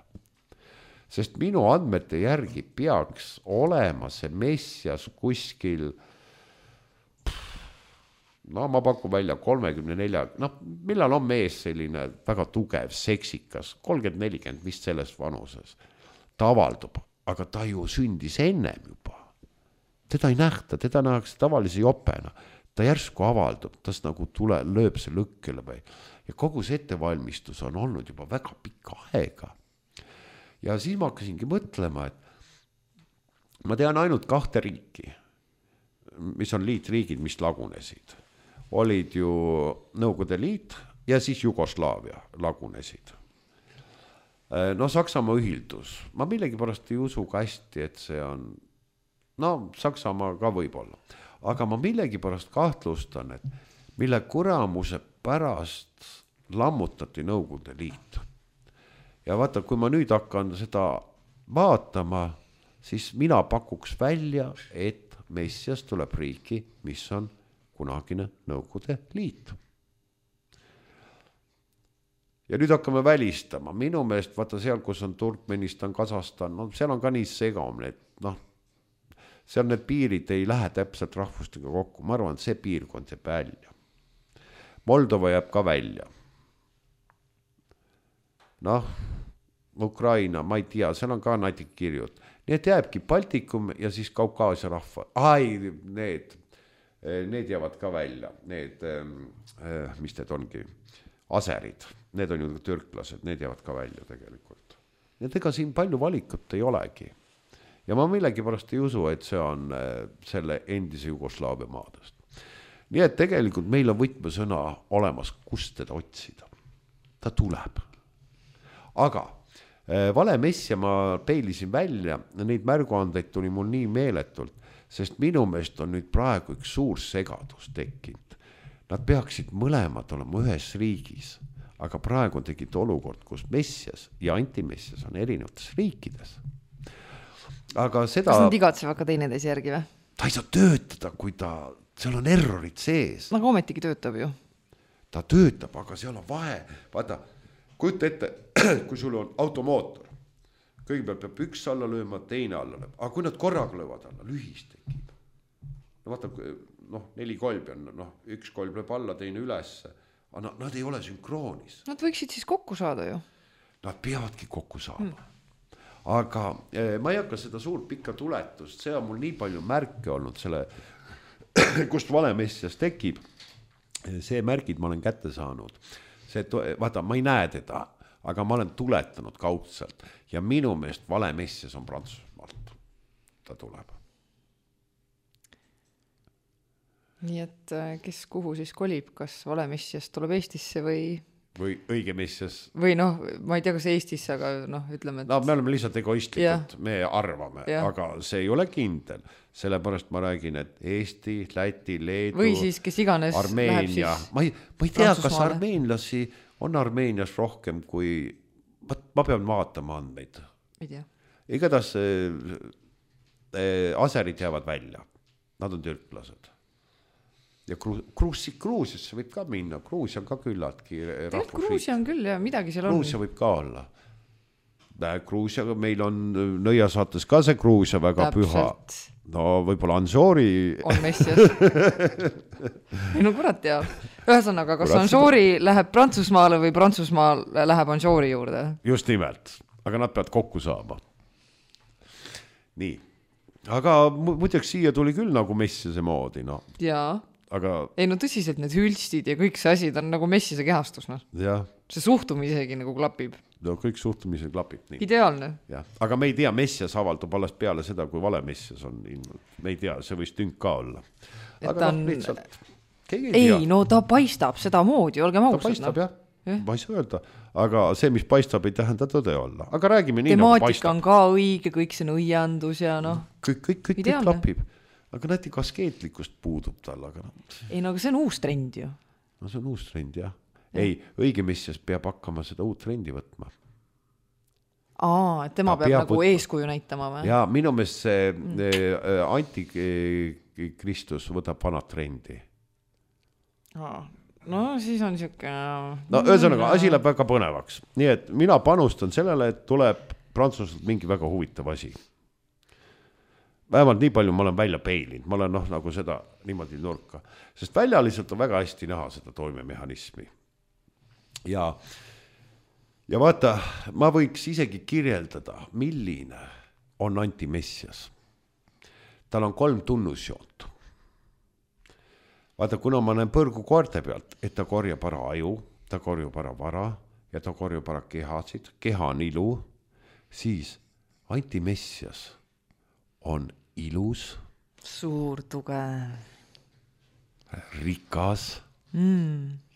Speaker 2: Sest minu andmete järgi peaks olema see messias kuskil, ma pakun välja 34, millal on mees selline väga tugev, seksikas, 30-40 vist selles vanuses. ta avaldub, aga ta ju sündis ennem juba. Teda ei nähta, teda nähakse tavalise jopena. Ta järsku avaldub, tas nagu lööb see lõkkele või. Ja kogu see ettevalmistus on olnud juba väga pikka aega. Ja siis ma hakkasingi mõtlema, et ma tean ainult 2 riiki, mis on liitriigid, mis lagunesid. Olid ju Nõukogude Liit ja siis Jugoslaavia lagunesid. No Saksamaa ühildus. Ma millegipärast ei usu ka hästi, et see on, no Saksamaa ka võib-olla. Aga ma millegipärast kahtlustan, et mille kuramuse pärast lammutati Nõukogude Liit. Ja vaata, kui ma nüüd hakkan seda vaatama, siis mina pakuks välja, et Messias tuleb riiki, mis on kunagine Nõukogude Liit. Ja nüüd hakkame välistama. Minu meelest, vaata seal, kus on Turkmenistan, Kasahstan, no seal on ka nii segamine, et noh, seal need piirid ei lähe täpselt rahvustega kokku. Ma arvan, et see piirkond jääb välja. Moldova jääb ka välja. Noh, Ukraina, ma ei tea, seal on ka natik kirjud. Nii et jääbki Baltikum ja siis Kaukaasia rahva. Need jäävad ka välja. Need, mis need ongi? Aserid. Need on ju türklased, need jäävad ka välja tegelikult. Need ega siin palju valikut ei olegi. Ja ma millegipärast ei usu, et see on selle endise Jugoslaavia maadest. Nii et tegelikult meil on võtmesõna olemas, kust teda otsida. Ta tuleb. Aga vale messia ma peilisin välja, neid märguandeid tuli mul nii meeletult, sest minu meelest on nüüd praegu üks suur segadus tekkinud. Nad peaksid mõlemad olema ühes riigis, aga praegu tegid olukord, kus messias ja antimessias on erinevates riikides. Aga seda...
Speaker 3: Kas nad igatsevad ka teineteise järgi või?
Speaker 2: Ta ei saa töötada, kui seal on errorid sees.
Speaker 3: Aga ometigi töötab ju.
Speaker 2: Ta töötab, aga seal on vahe. Vaata, kujuta ette, kui sul on automootor. Kõigepealt peab üks alla lööma, teine alla lööma. Aga kui nad korraga löövad alla, lühis tekib. No vaata, 4 kolbi on, üks kolb lööb alla, teine üles. Aga nad ei ole sünkroonis.
Speaker 3: Nad võiksid siis kokku saada ju.
Speaker 2: Nad peavadki kokku saama. Aga ma ei hakka seda suurt pikka tuletust, see on mul nii palju märke olnud selle, kust vale messias tekib. See märgid ma olen kätte saanud. Vaata, ma ei näe teda, aga ma olen tuletanud kaudselt ja minu meelest vale messias on Prantsusmaalt. Ta tuleb.
Speaker 3: Nii et kes kuhu siis kolib, kas vale messias tuleb Eestisse või
Speaker 2: õige messias.
Speaker 3: Või ma ei tea, kas Eestisse, aga ütleme, et...
Speaker 2: No me oleme lihtsalt egoistlikud, me arvame, aga see ei ole kindel. Sellepärast ma räägin, et Eesti, Läti, Leedu,
Speaker 3: või siis kes iganes
Speaker 2: Armeenia.
Speaker 3: Läheb siis
Speaker 2: ma ei tea, kas armeenlasi on Armeenias rohkem kui... Ma pean vaatama andmeid.
Speaker 3: Ei tea.
Speaker 2: Igatahes aserid jäävad välja. Nad on türklased. Ja Gruusiasse võib ka minna. Gruusia on ka küllaltki rahvusriik.
Speaker 3: Gruusia on küll ja midagi seal on.
Speaker 2: Gruusia võib ka olla. Gruusia, meil on nõiasaates ka see Gruusia väga püha. No võib-olla Anžoori...
Speaker 3: On messias. Ei no kurat teab. Ühesõnaga, kas Anžoori läheb Prantsusmaale või Prantsusmaal läheb Anžoori juurde?
Speaker 2: Just nimelt. Aga nad peavad kokku saama. Nii. Aga muideks siia tuli küll nagu messiase moodi. No.
Speaker 3: Jaa.
Speaker 2: Aga...
Speaker 3: Ei no tõsiselt need hülstid ja kõik see asi, ta on nagu messiase kehastus. No.
Speaker 2: Ja.
Speaker 3: See suhtumis isegi nagu klapib.
Speaker 2: No kõik suhtumised klapib nii.
Speaker 3: Ideaalne.
Speaker 2: Ja. Aga me ei tea, messias avaldub alles peale seda, kui vale messias on. Me ei tea, see võis tünk ka olla. Aga lihtsalt...
Speaker 3: Ei, no ta paistab seda moodi, olge mausad.
Speaker 2: Ta paistab, jah. Ma ei saa öelda. Aga see, mis paistab, ei tähenda tõde olla. Aga räägime nii,
Speaker 3: temaatika nagu paistab. On ka õige, kõik see nõiandus ja noh.
Speaker 2: Kõik klapib. Aga näeti kaskeetlikust puudub tal. Aga...
Speaker 3: Ei, no aga see on uus trend ju.
Speaker 2: No see on uus trend, jah. Ei, õige messias peab hakkama seda uut trendi võtma.
Speaker 3: Et tema peab nagu eeskuju näitama või?
Speaker 2: Ja minu meelest see antikristus võtab vanad trendi.
Speaker 3: No siis on siuke...
Speaker 2: No ühesõnaga, asi läheb väga põnevaks. Nii et mina panustan sellele, et tuleb Prantsusmaalt mingi väga huvitav asi. Vähemalt nii palju ma olen välja peilinud. Ma olen nagu seda niimoodi nurka. Sest väljaliselt on väga hästi näha seda toimemehhanismi. Ja ja vaata, ma võiks isegi kirjeldada, milline on Anti Messias. Tal on 3 tunnusjoont. Vaata, kuna ma näen põrgu koerte pealt, et ta korjab ära aju, ta korjab ära vara ja ta korjab ära kehasid, keha on ilu, siis Anti Messias on ilus,
Speaker 3: suur, tugev,
Speaker 2: rikas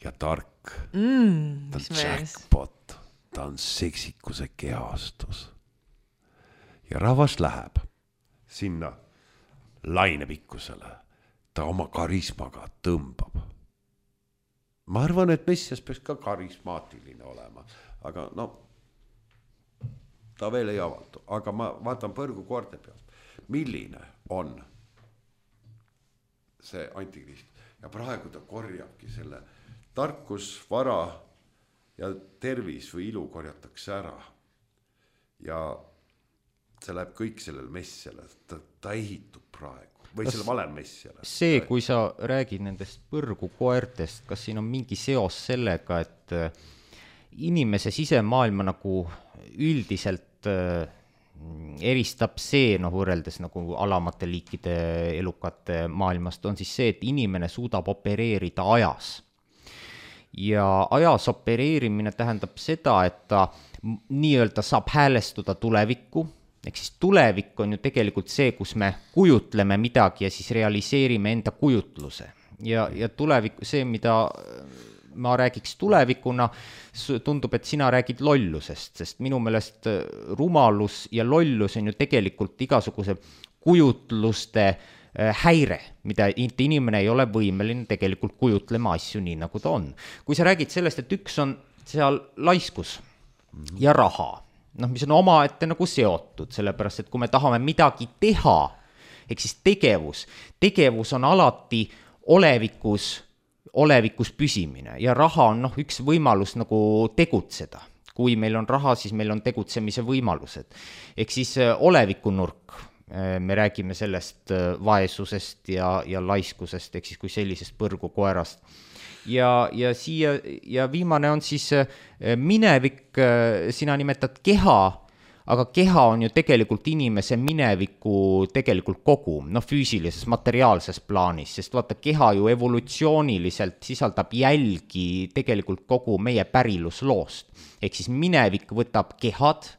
Speaker 2: ja tark. Ta on jackpot, ta on seksikuse kehastus. Ja rahvas läheb sinna lainepikkusele, ta oma karismaga tõmbab. Ma arvan, et Messias peaks ka karismaatiline olema, aga no, ta veel ei avaldu, aga ma vaatan põrgu koorte pealt, milline on see antikrist ja praegu ta korjabki selle tarkus, vara ja tervis või ilu korjatakse ära ja see läheb kõik sellele Messiale, ta ehitub praegu või selle valel Messiale.
Speaker 1: See, kui sa räägid nendest põrgu koertest, kas siin on mingi seos sellega, et inimese sisemaailma nagu üldiselt eristab see, võrreldes nagu alamate liikide elukate maailmast, on siis see, et inimene suudab opereerida ajas. Ja ajas opereerimine tähendab seda, et ta nii-öelda saab häälestuda tulevikku, ehk siis tulevik on ju tegelikult see, kus me kujutleme midagi ja siis realiseerime enda kujutluse. Ja tulevik, see, mida ma räägiks tulevikuna, tundub, et sina räägid lollusest, sest minu meelest rumalus ja lollus on ju tegelikult igasuguse kujutluste häire, mida inimene ei ole võimeline tegelikult kujutlema asju nii, nagu ta on. Kui sa räägid sellest, et üks on seal laiskus ja raha, mis on omaette nagu seotud, sellepärast, et kui me tahame midagi teha, ehk siis tegevus on alati olevikus püsimine ja raha on üks võimalus nagu tegutseda. Kui meil on raha, siis meil on tegutsemise võimalused. Ehk siis olevikunurk, me räägime sellest vaesusest ja laiskusest, ehk siis kui sellisest põrgu koerast. Ja viimane on siis minevik, sina nimetad keha, aga keha on ju tegelikult inimese mineviku tegelikult kogu, füüsilises, materiaalses plaanis, sest vaata, keha ju evolutsiooniliselt sisaldab jälgi tegelikult kogu meie pärilusloost. Ehk siis minevik võtab kehad,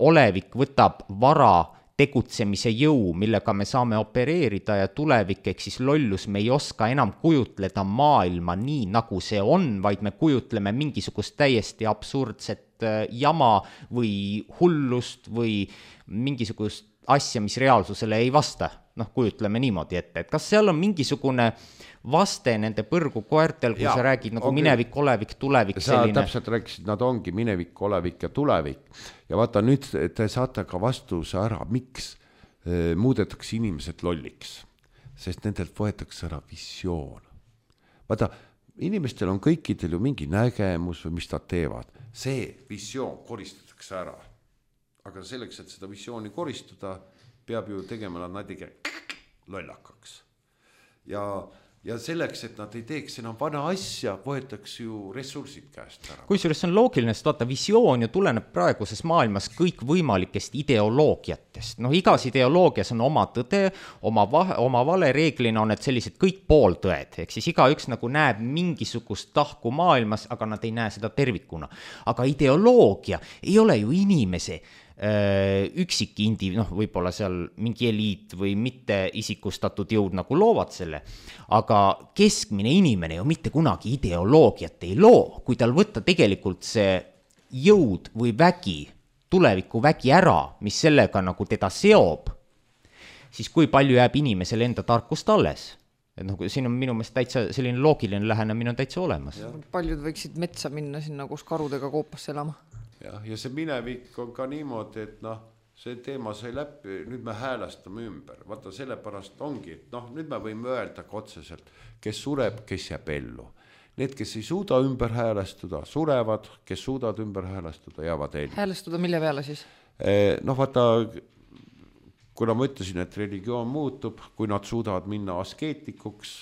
Speaker 1: olevik võtab vara, tegutsemise jõu, millega me saame opereerida ja tulevik, ehk siis lollus, me ei oska enam kujutleda maailma nii, nagu see on, vaid me kujutleme mingisugust täiesti absurdset jama või hullust või mingisugust asja, mis reaalsusele ei vasta. Kujutleme niimoodi ette, et kas seal on mingisugune vaste nende põrgu koertel, kui sa räägid nagu minevik, olevik, tulevik selline.
Speaker 2: Sa täpselt rääkisid, nad ongi minevik, olevik ja tulevik. Ja vaata, nüüd te saate ka vastuse ära, miks muudetakse inimesed lolliks, sest nendelt võetakse ära visioon. Vaata, inimestel on kõikidel ju mingi nägemus või mis nad teevad. See visioon koristatakse ära. Aga selleks, et seda visiooni koristada, peab ju tegema nad natuke lollakaks. Ja selleks, et nad ei teeks enam vana asja, võetakse ju ressursid käest ära.
Speaker 1: Kusjuures see on loogiline, sest vaata, visioon ju tuleneb praeguses maailmas kõik võimalikest ideoloogiatest. Igas ideoloogias on oma tõde, oma vale, reeglina on need sellised kõik pooltõed. Ehk siis igaüks nagu näeb mingisugust tahku maailmas, aga nad ei näe seda tervikuna. Aga ideoloogia ei ole ju inimese üksik võib-olla seal mingi eliit või mitte isikustatud jõud nagu loovad selle, aga keskmine inimene ju mitte kunagi ideoloogiat ei loo, kui tal võtta tegelikult see jõud või vägi, tuleviku vägi ära, mis sellega nagu teda seob, siis kui palju jääb inimesele enda tarkust alles? Et siin on minu meelest täitsa selline loogiline lähenemine on täitsa olemas.
Speaker 3: Paljud võiksid metsa minna sinna, kus karudega koopasse elama.
Speaker 2: Ja see minevik on ka niimoodi, et see teema sai läbi, nüüd me häälestame ümber. Vaata, sellepärast ongi, et nüüd me võime öelda ka otseselt, kes sureb, kes jääb ellu. Need, kes ei suuda ümber häälestuda, surevad, kes suudavad ümber häälestuda, jäävad ellu.
Speaker 3: Häälestuda mille peale siis?
Speaker 2: Vaata, kuna ma ütlesin, et religioon muutub, kui nad suudavad minna askeetikuks,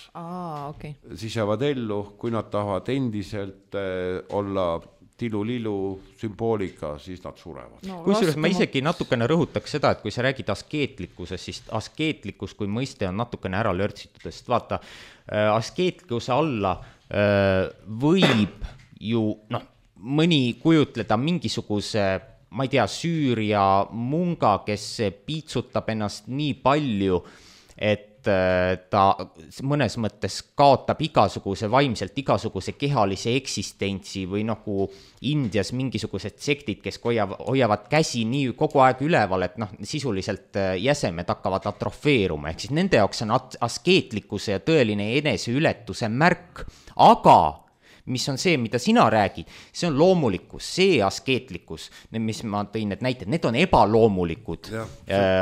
Speaker 3: okay.
Speaker 2: Siis jäävad ellu, kui nad tahavad endiselt olla tilulilu sümboolika, siis nad surevad.
Speaker 1: No, kusjuures ma isegi natukene rõhutaks seda, et kui sa räägid askeetlikkusest, siis askeetlikkus kui mõiste on natukene ära lörtsitud, sest vaata, askeetlikkuse alla võib ju mõni kujutleda mingisuguse, ma ei tea, Süüria munga, kes piitsutab ennast nii palju, et ta mõnes mõttes kaotab vaimselt igasuguse kehalise eksistentsi või nagu Indias mingisugused sektid, kes hoiavad käsi nii kogu aeg üleval, et sisuliselt jäsemed hakkavad atrofeeruma, ehk siis nende jaoks on askeetlikkuse ja tõeline eneseületuse märk, aga mis on see, mida sina räägid, see on loomulikkus, see askeetlikkus, mis ma tõin need näited, need on ebaloomulikud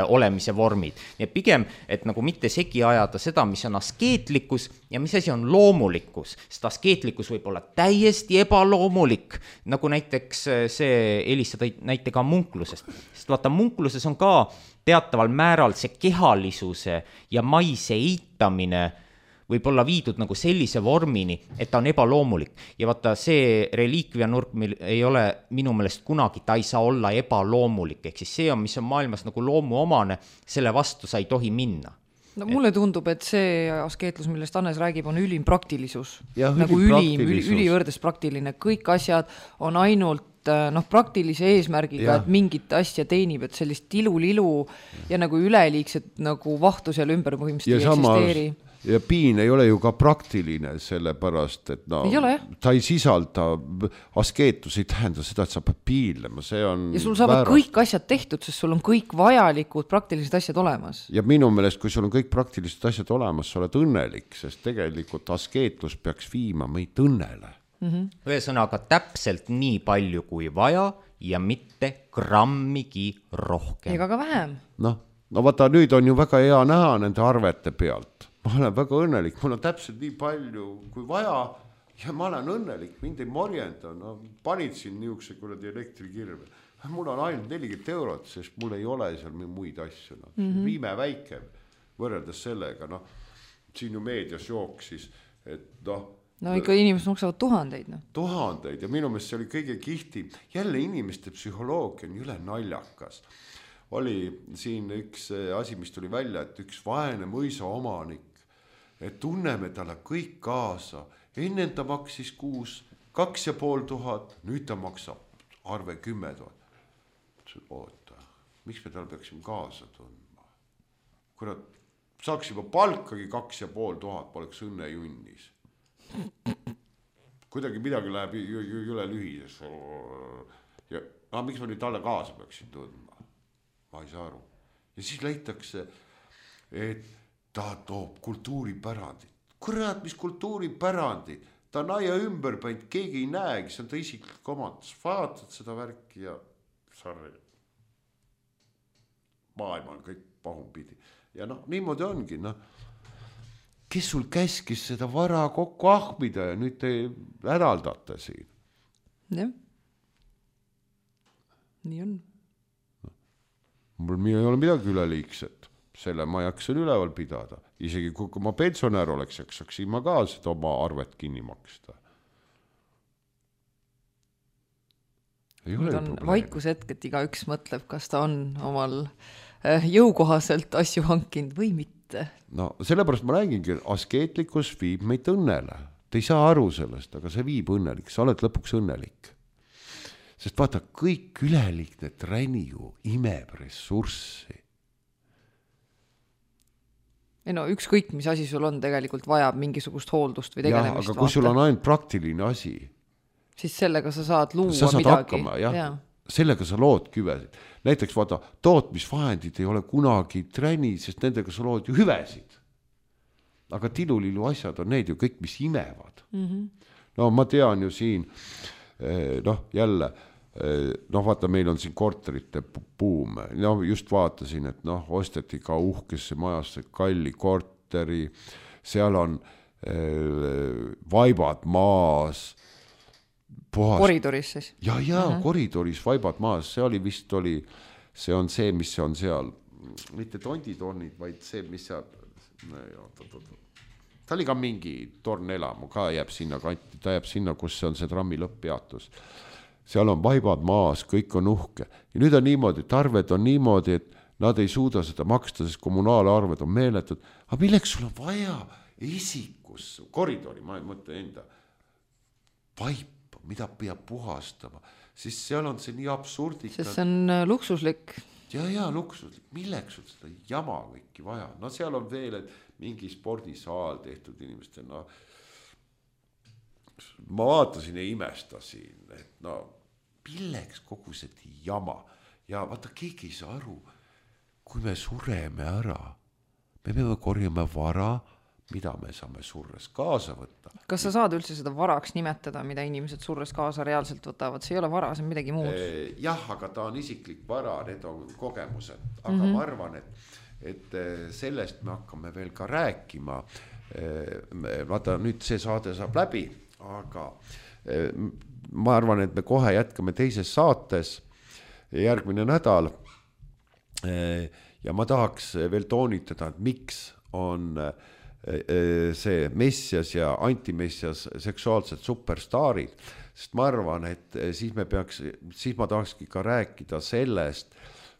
Speaker 1: olemise vormid. Ja pigem, et nagu mitte segi ajada seda, mis on askeetlikkus ja mis asi on loomulikkus, sest askeetlikkus võib olla täiesti ebaloomulik, nagu näiteks see Elisa tõi näitega munklusest. Sest vaata, munkluses on ka teataval määral see kehalisuse ja maise eitamine võib olla viidud nagu sellise vormini, et ta on ebaloomulik. Ja vaata, see reliikvia nurk meil ei ole minu meelest kunagi, ta ei saa olla ebaloomulik. Ehk siis see on, mis on maailmas nagu loomuomane, selle vastu sa ei tohi minna.
Speaker 3: No mulle tundub, et see askeetlus, millest Hannes räägib, on ülim praktilisus.
Speaker 2: Ja,
Speaker 3: nagu ülivõrdes praktiline. Kõik asjad on ainult praktilise eesmärgiga, et mingit asja teenib, et sellist tilulilu ja nagu üleliigset nagu vahtu seal ümber põhimõtteliselt ei eksisteeri.
Speaker 2: Ja piin ei ole ju ka praktiline, sellepärast, et ta ei sisalda, askeetus ei tähenda seda, et sa pead piinlema, see on
Speaker 3: ja sul saavad kõik asjad tehtud, sest sul on kõik vajalikud praktilised asjad olemas.
Speaker 2: Ja minu meelest, kui sul on kõik praktilised asjad olemas, sa oled õnnelik, sest tegelikult askeetlus peaks viima meid õnnele.
Speaker 1: Ühesõnaga täpselt nii palju kui vaja ja mitte grammigi rohkem.
Speaker 3: Ega ka vähem.
Speaker 2: No vaata, nüüd on ju väga hea näha nende arvete pealt. Ma olen väga õnnelik, mul on täpselt nii palju kui vaja ja ma olen õnnelik, mind ei morjenda. Panid siin niisuguse kuradi elektrikirve. Mul on ainult 40 €, sest mul ei ole seal muid asju. Viime väike võrreldes sellega. Siin ju meedias jooksis, et
Speaker 3: ikka inimesed maksavad tuhandeid.
Speaker 2: Tuhandeid ja minu meelest see oli kõige kihti. Jälle inimeste psühholoogia on üle naljakas. Oli siin üks asi, mis tuli välja, et üks vaene mõisa omanik, et tunneme talle kõik kaasa. Enne ta maksis kuus 2500, nüüd ta maksab arve 10 000. Oota, miks me tal peaksime kaasa tundma? Kurat, saaks juba palkagi 2500, poleks õnne junnis. Kuidagi midagi läheb üle lühises. Ja miks ma nüüd talle kaasa peaksin tundma? Ma ei saa aru. Ja siis leitakse, et ta toob kultuuripärandit. Kurat, mis kultuuripärandit? Ta on aia ümber päinud, keegi ei näegi, see on ta isiklik omandus. Vaatad seda värki ja sarri. Maailma on kõik pahunpidi. Ja niimoodi ongi. Kes sul käskis seda vara kokku ahmida ja nüüd te hädaldate siin?
Speaker 3: Jah. Nii on.
Speaker 2: Mul ei ole midagi üleliigset. Selle ma jaksan üleval pidada. Isegi kui ma pensionär oleks, saaksin ma ka seda oma arvet kinni maksta.
Speaker 3: Nüüd on vaikushetk, et igaüks mõtleb, kas ta on omal jõukohaselt asju hankinud või mitte.
Speaker 2: Sellepärast ma räägingi, askeetlikkus viib meid õnnele. Te ei saa aru sellest, aga see viib õnnelik. Sa oled lõpuks õnnelik. Sest vaata, kõik üleliigne träni ju imeb ressurssi.
Speaker 3: Ükskõik, mis asi sul on, tegelikult vajab mingisugust hooldust või tegelemist.
Speaker 2: Aga kui sul on ainult praktiline asi,
Speaker 3: siis sellega sa saad luua
Speaker 2: sa saad
Speaker 3: midagi.
Speaker 2: Hakkama, sellega sa lood küvesid. Näiteks vaata, tootmisvahendid ei ole kunagi träni, sest nendega sa lood ju hüvesid. Aga tilulilu asjad on need ju kõik, mis imevad. Ma tean ju siin, jälle, vaata, meil on siin korterite buum. Just vaatasin, et osteti ka uhkesse majasse kalli korteri, seal on vaibad maas.
Speaker 3: Koridoris siis?
Speaker 2: Koridoris vaibad maas, see on see, mis on seal, mitte tonditornid, vaid see, mis seal, ta oli ka mingi tornelamu, ka jääb sinna kanti, ta jääb sinna, kus on see trammi lõpppeatus. seal on vaibad maas, kõik on uhke. Ja nüüd on niimoodi, et arved on niimoodi, et nad ei suuda seda maksta, sest kommunaalarved on meeletud. Aga milleks sul on vaja esikus, koridori, ma ei mõtle enda, vaipa, mida peab puhastama, siis seal on see nii absurdika.
Speaker 3: Sest see on luksuslik.
Speaker 2: Ja luksuslik, milleks sul seda jama kõiki vaja? No seal on veel, et mingi spordisaal tehtud inimestel, no ma vaatasin ja imestasin, et no milleks kogu see jama ja vaata, keegi ei saa aru, kui me sureme ära, me peame korjama vara, mida me saame surres kaasa võtta.
Speaker 3: Kas sa saad üldse seda varaks nimetada, mida inimesed surres kaasa reaalselt võtavad? See ei ole vara, see on midagi muud.
Speaker 2: Jah, aga ta on isiklik vara, need on kogemused, aga ma arvan, et sellest me hakkame veel ka rääkima. Vaata, nüüd see saade saab läbi, aga ma arvan, et me kohe jätkame teises saates järgmine nädal ja ma tahaks veel toonitada, et miks on see Messias ja antimessias seksuaalsed superstaarid, sest ma arvan, et siis ma tahakski ka rääkida sellest,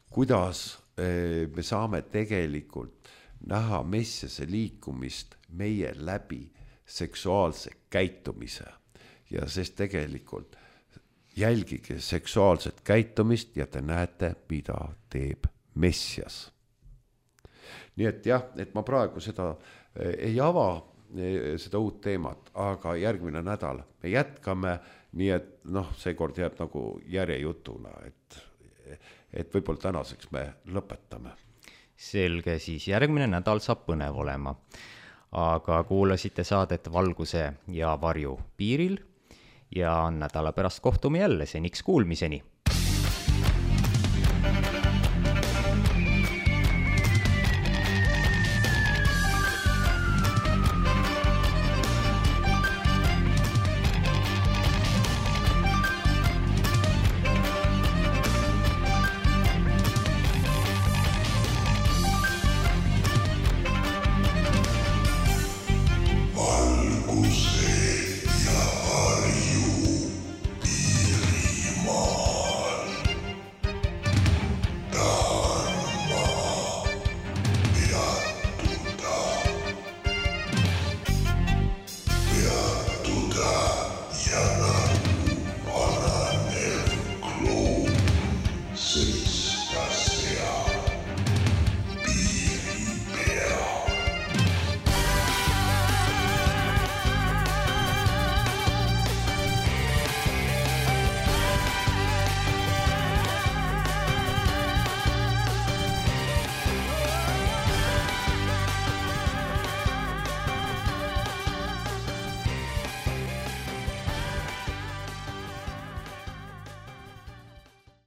Speaker 2: kuidas me saame tegelikult näha messiase liikumist meie läbi seksuaalse käitumise ja sest tegelikult jälgige seksuaalset käitumist ja te näete, mida teeb messias. Nii et jah, et ma praegu seda ei ava seda uut teemat, aga järgmine nädal me jätkame, nii et seekord jääb nagu järjejutuna, et võib-olla tänaseks me lõpetame.
Speaker 1: Selge, siis järgmine nädal saab põnev olema. Aga kuulasite saadet Valguse ja varju piiril ja nädala pärast kohtume jälle, seniks kuulmiseni.